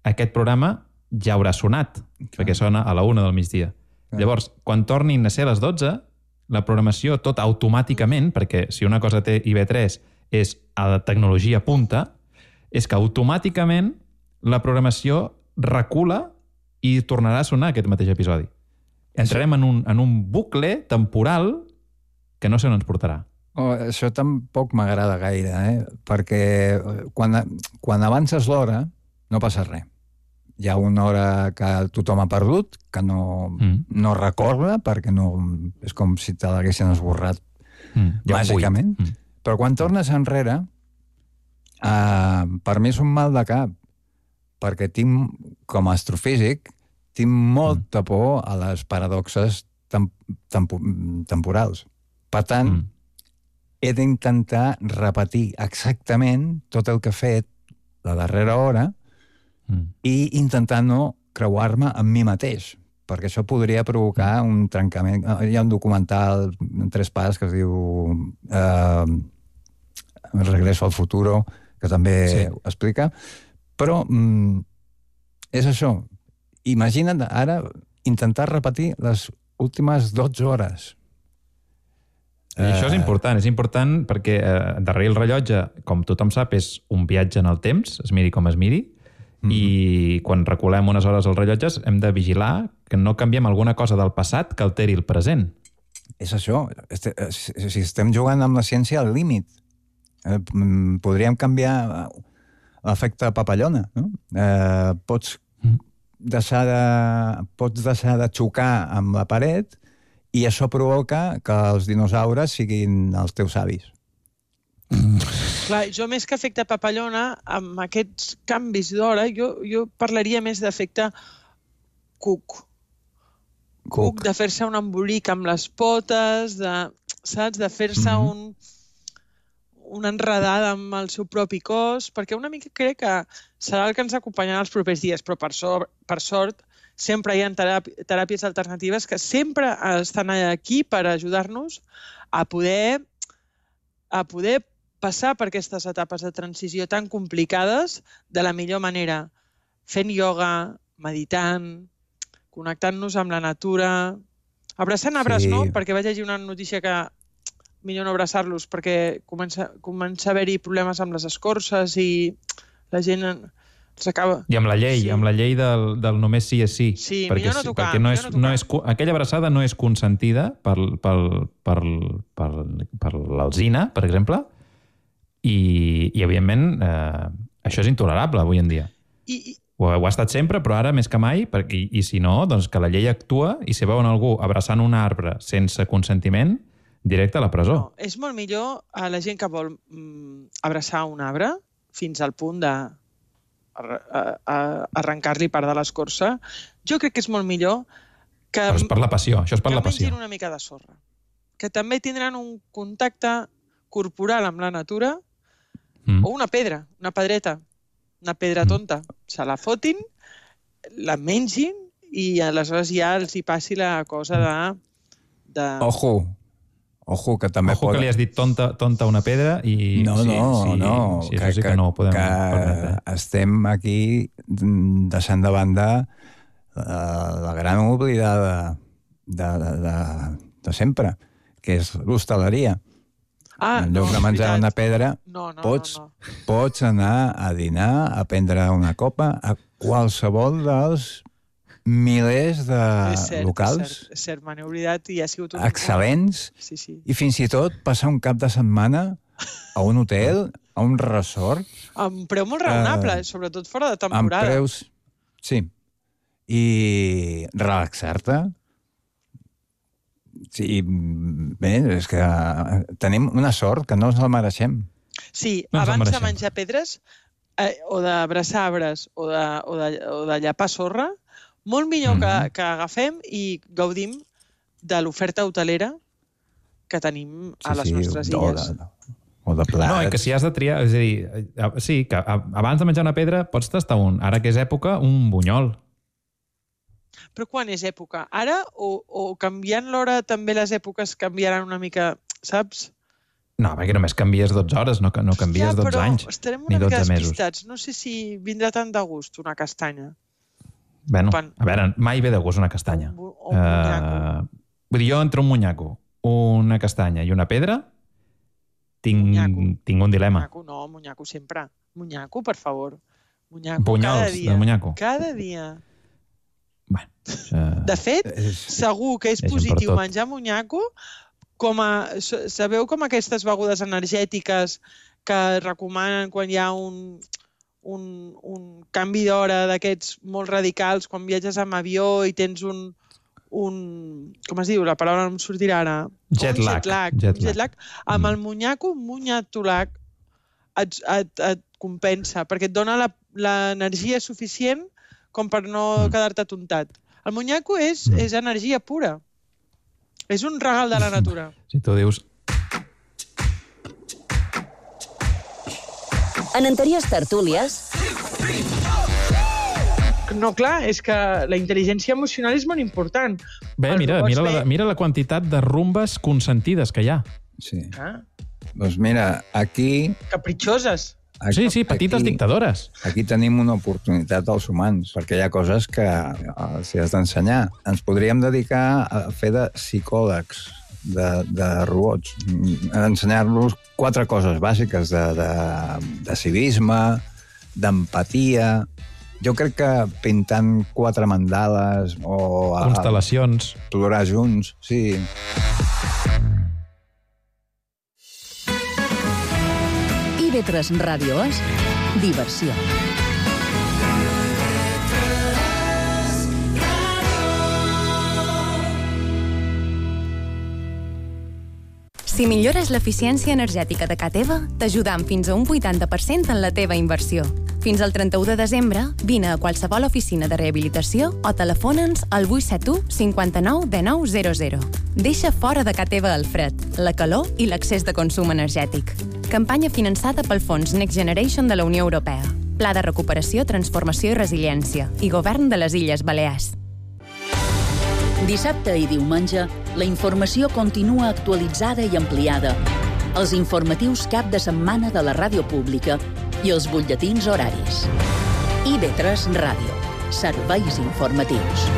aquest programa ja haurà sonat, perquè sona a la una del migdia. Llavors, quan tornin a ser a les dotze, la programació tot automàticament, perquè si una cosa té I B tres és a la tecnologia punta, és que automàticament la programació recula i tornarà a sonar aquest mateix episodi. Entrarem en un, en un bucle temporal que no sé on ens portarà. Oh, això tampoc m'agrada gaire, eh? Perquè quan, quan avances l'hora no passa res. Hi ha una hora que tothom ha perdut, que no, mm. no recorda, perquè no, és com si te l'haguessin esborrat mm. bàsicament. Mm. Però quan tornes enrere, uh, per mi és un mal de cap, perquè tinc, com a astrofísic, tinc molta por a les paradoxes tem tempo temporals. Per tant, mm. he d'intentar repetir exactament tot el que he fet la darrera hora mm. i intentar no creuar-me amb mi mateix, perquè això podria provocar un trencament. Hi ha un documental en tres parts que es diu eh, Regreso al futuro, que també sí. ho explica, però mm, és això. Imagina't ara intentar repetir les últimes dotze hores. I això és important, és important perquè eh, darrere el rellotge, com tothom sap, és un viatge en el temps, es miri com es miri, mm. i quan reculem unes hores als rellotges hem de vigilar que no canviem alguna cosa del passat que alteri el present. És això. Este, si estem jugant amb la ciència al límit, eh, podríem canviar l'efecte papallona, no? Eh, pots, mm. deixar de, pots deixar de xocar amb la paret i això provoca que els dinosaures siguin els teus avis. Clar, jo més que efecte papallona, amb aquests canvis d'hora, jo, jo parlaria més d'efecte cuc. Cuc, de fer-se un embolic amb les potes, de, saps? De fer-se mm-hmm. un, una enredada amb el seu propi cos, perquè una mica crec que serà el que ens acompanyarà els propers dies, però per sort, per sort sempre hi ha teràpi teràpies alternatives que sempre estan aquí per ajudar-nos a poder, a poder passar per aquestes etapes de transició tan complicades de la millor manera, fent ioga, meditant, connectant-nos amb la natura, abraçant arbres, sí. No? Perquè vaig llegir una notícia que millor no abraçar-los perquè comença, comença a haver-hi problemes amb les escorces i la gent els acaba... I amb la llei, sí. amb la llei del, del només sí és sí. Sí, perquè, millor no tocar. Perquè no és, no és, aquella abraçada no és consentida per, per, per, per, per l'alzina, per exemple, i, i evidentment, eh, això és intolerable avui en dia. I, i... Ho, ho ha estat sempre, però ara més que mai, perquè, i, i si no, doncs que la llei actua i si veuen algú abraçant un arbre sense consentiment, directe a la presó. No, és molt millor a la gent que vol mm, abraçar un arbre fins al punt de arrencar-li part de l'escorça. Jo crec que és molt millor que... Però és per la passió, això és per la passió. Que mengin una mica de sorra. Que també tindran un contacte corporal amb la natura mm. o una pedra, una pedreta, una pedra tonta. Mm. Se la fotin, la mengin i aleshores ja els hi passi la cosa de... de... Ojo, ojo, que també Ojo pot... que li has dit tonta, tonta una pedra i... No, sí, no, sí, no. Sí, això sí que, que no ho podem que permetre. Estem aquí deixant de banda la gran oblidada de, de, de, de sempre, que és l'hostaleria. Ah, en lloc no, de menjar una pedra, no, no, pots, no, no. pots anar a dinar, a prendre una copa, a qualsevol dels milers de és cert, locals és cert, és cert, me n'he oblidat i ha sigut un... excel·lents, sí, sí. I fins i tot passar un cap de setmana a un hotel, a un resort... Amb preu molt raonable, eh, sobretot fora de temporada. Amb preus, sí. I relaxar-te. Sí, bé, és que tenim una sort que no ens la mereixem. Sí, no abans de menjar pedres, eh, o d'abraçar arbres, o de, o, de, o de llapar sorra, molt millor mm -hmm. que, que agafem i gaudim de l'oferta hotelera que tenim a sí, les sí, nostres o illes. de, o de plats. No, i que si has de triar... És a dir, sí, que abans de menjar una pedra pots tastar un, ara que és època, un bunyol. Però quan és època? Ara o, o canviant l'hora també les èpoques canviaran una mica, saps? No, perquè només canvies dotze hores, no, no canvies ja, dotze anys, estarem ni una dotze mica mesos. despistats. No sé si vindrà tant de gust una castanya. Bueno, Pan. a veure, mai ve de gust una castanya. O un, o un munyaco. Uh, vull dir, jo entre un munyaco, una castanya i una pedra, tinc, tinc un dilema. Munyaco, no, munyaco sempre. Munyaco, per favor. Munyaco, Bunyols, cada dia. de munyaco. Cada dia. Bueno, uh, de fet, és, segur que és, és positiu menjar munyaco, com a, sabeu com aquestes begudes energètiques que recomanen quan hi ha un, un, un canvi d'hora d'aquests molt radicals, quan viatges amb avió i tens un, un com es diu, la paraula no em sortirà ara. Jet lag. Jet lag. Jet jet lag. Mm. Amb el munyaco, un munyatolac et, et, et compensa, perquè et dona l'energia suficient com per no mm. quedar-te tontat. El munyaco és, mm. és energia pura. És un regal de la natura. Si tu dius... En anteriors tertúlies... No, clar, és que la intel·ligència emocional és molt important. Bé, mira, mira, la, mira la quantitat de rumbes consentides que hi ha. Sí. Ah. Doncs mira, aquí... Capritxoses. Aquí, sí, sí, petites aquí, dictadores. Aquí tenim una oportunitat als humans, perquè hi ha coses que s'hi has d'ensenyar. Ens podríem dedicar a fer de psicòlegs, de, de robots, ensenyar-los quatre coses bàsiques de, de, de civisme, d'empatia. Jo crec que pintant quatre mandales o... Constel·lacions. A, plorar junts, sí. I ve tres Ràdio és diversió. Si millores l'eficiència energètica de ca teva, t'ajudam fins a un vuitanta per cent en la teva inversió. Fins al trenta-u de desembre, vine a qualsevol oficina de rehabilitació o telefona'ns al vuit set u cinquanta-nou dinou zero zero. Deixa fora de ca teva el fred, la calor i l'excés de consum energètic. Campanya finançada pel Fons Next Generation de la Unió Europea. Pla de recuperació, transformació i resiliència. I Govern de les Illes Balears. Dissabte i diumenge, la informació continua actualitzada i ampliada. Els informatius cap de setmana de la ràdio pública i els butlletins horaris. I ve tres Ràdio. Serveis informatius.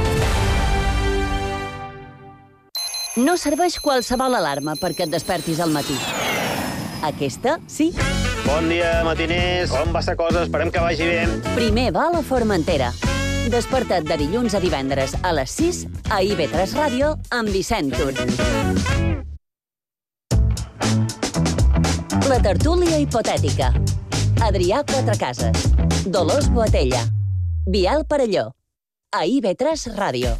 No serveix qualsevol alarma perquè et despertis al matí. Aquesta, sí. Bon dia, matiners. Com va la cosa? Esperem que vagi bé. Primer vol a Formentera. Desperta't de dilluns a divendres a les sis a I ve tres Ràdio amb Vicent Tur. La tertúlia hipotètica. Adrià Quatrecases. Dolors Boatella. Biel Parelló. A I ve tres Ràdio.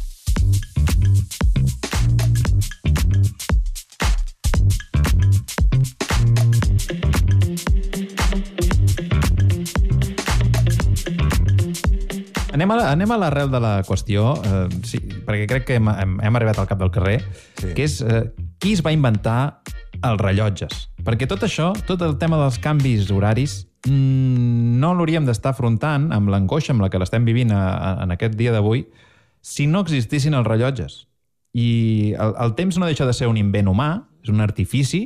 Anem a, anem a l'arrel de la qüestió, eh, sí, perquè crec que hem, hem, hem arribat al cap del carrer, sí. que és eh, qui es va inventar els rellotges. Perquè tot això, tot el tema dels canvis horaris, mmm, no l'hauríem d'estar afrontant amb l'angoixa amb la que l'estem vivint a, a, en aquest dia d'avui si no existissin els rellotges. I el, el temps no deixa de ser un invent humà, és un artifici,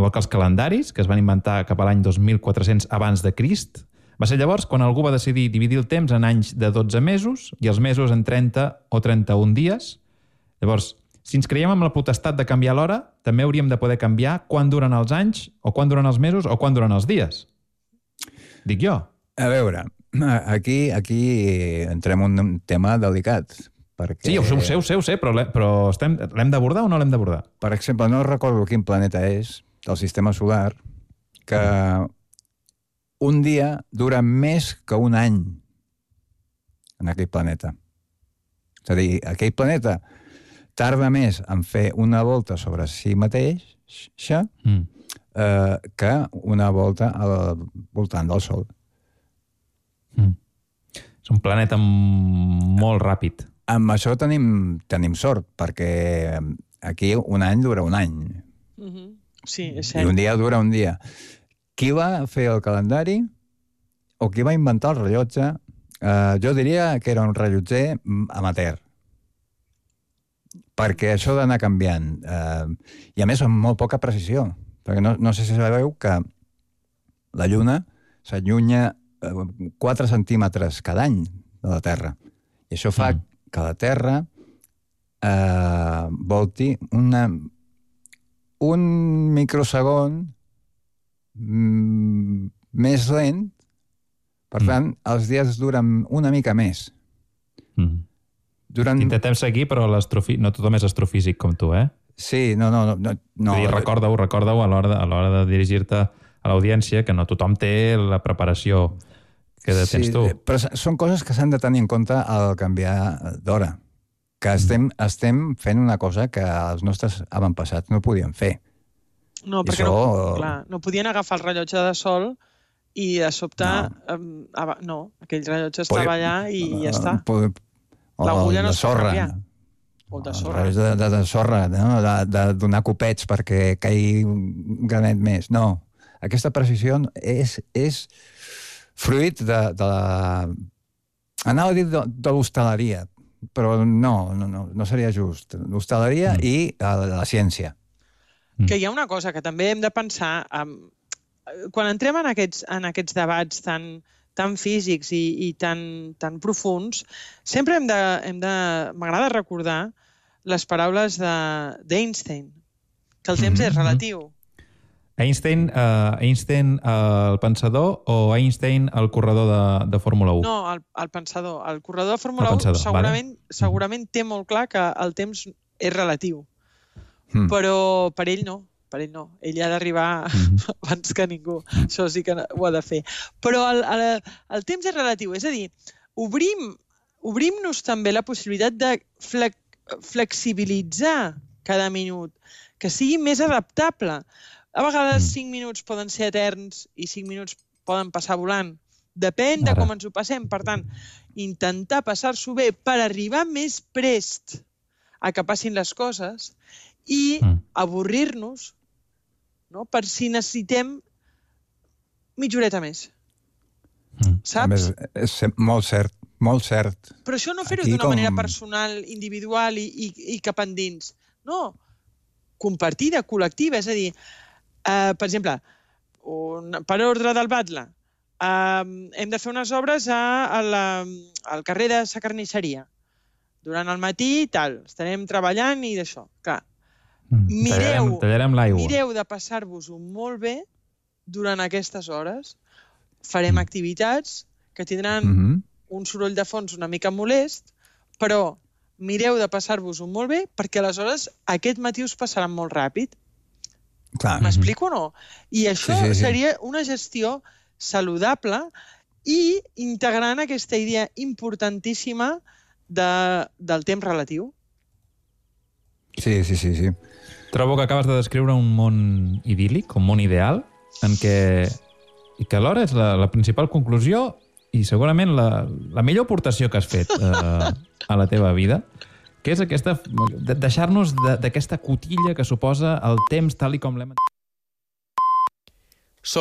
igual que els calendaris, que es van inventar cap a l'any dos mil quatre-cents abans de Crist. Va ser llavors quan algú va decidir dividir el temps en anys de dotze mesos i els mesos en trenta o trenta-un dies. Llavors, si ens creiem amb la potestat de canviar l'hora, també hauríem de poder canviar quan duren els anys, o quan duren els mesos, o quan duren els dies. Dic jo. A veure, aquí, aquí entrem en un tema delicat. Perquè... Sí, ho sé, ho sé, ho sé, ho sé però, però estem, l'hem d'abordar o no l'hem d'abordar? Per exemple, no recordo quin planeta és, del sistema solar, que un dia dura més que un any en aquell planeta. És a dir, aquell planeta tarda més en fer una volta sobre si mateix mm. eh, que una volta al voltant del Sol. Mm. És un planeta molt ràpid. Amb això tenim, tenim sort, perquè aquí un any dura un any. Mm-hmm. Sí, és cert. I un dia dura un dia. Qui va fer el calendari o qui va inventar el rellotge, eh, jo diria que era un rellotger amateur. Perquè això d'anar canviant, eh, i a més amb molt poca precisió, perquè no, no sé si sabeu que la Lluna s'allunya eh, quatre centímetres cada any de la Terra. I això fa mm. que la Terra eh, volti una, un microsegon mm, més lent. Per tant, mm. els dies duren una mica més. Mm. Durant... Intentem seguir, però no tothom és astrofísic com tu, eh? Sí, no, no... no, no. Dir, recorda-ho, recorda-ho a l'hora de, a l'hora de dirigir-te a l'audiència, que no tothom té la preparació que de tens sí, tu. Però són coses que s'han de tenir en compte al canviar d'hora. Que estem, mm. estem fent una cosa que els nostres avantpassats no podien fer. No, perquè això... no, clar, no podien agafar el rellotge de sol i de sobte... No, um, no aquell rellotge estava Pod... allà i uh, ja està. Pod... L'agulla no es pot canviar. O de sorra. De, de, de sorra, no? de, de donar copets perquè caigui un granet més. No, aquesta precisió és, és fruit de, de la... Anava a dir de, de l'hostaleria, però no, no, no, no seria just. L'hostaleria mm. i la, la ciència. Que hi ha una cosa que també hem de pensar... Um, quan entrem en aquests, en aquests debats tan... tan físics i, i tan, tan profuns, sempre hem de... Hem de m'agrada recordar les paraules d'Einstein, que el temps mm-hmm. és relatiu. Einstein, uh, Einstein uh, el pensador o Einstein el corredor de, de Fórmula u? No, el, el pensador. El corredor de Fórmula u segurament, vale. segurament té molt clar que el temps és relatiu, mm. però per ell no. Per ell no. Ell ha d'arribar mm-hmm. abans que ningú. Això sí que ho ha de fer. Però el, el, el temps és relatiu. És a dir, obrim, obrim-nos també la possibilitat de flex, flexibilitzar cada minut, que sigui més adaptable. A vegades mm. cinc minuts poden ser eterns i cinc minuts poden passar volant. Depèn de com ens ho passem. Per tant, intentar passar-s'ho bé per arribar més prest a que passin les coses i mm. avorrir-nos, no? Per si necessitem mitja horeta més. Mm. Saps? Més, és molt cert, molt cert. Però això no fer-ho d'una com... manera personal, individual i, i, i cap endins. No, compartida, col·lectiva. És a dir, uh, per exemple, un, per ordre del Batlle, uh, hem de fer unes obres a, a la, al carrer de sa carnisseria. Durant el matí i tal, estarem treballant i d'això. Clar, mm, mireu, tallarem, tallarem l'aigua. Mireu de passar-vos-ho molt bé durant aquestes hores. Farem mm. activitats que tindran mm -hmm. un soroll de fons una mica molest, però mireu de passar-vos-ho molt bé perquè aleshores aquest matí us passaran molt ràpid. M'explico o no? I això sí, sí, sí. seria una gestió saludable i integrant aquesta idea importantíssima de, del temps relatiu. Sí, sí, sí, sí. Trobo que acabes de descriure un món idíl·lic, un món ideal, en què, i que alhora és la, la principal conclusió i segurament la, la millor aportació que has fet eh, a la teva vida, que és aquesta, deixar-nos d'aquesta cotilla que suposa el temps tal i com l'hem...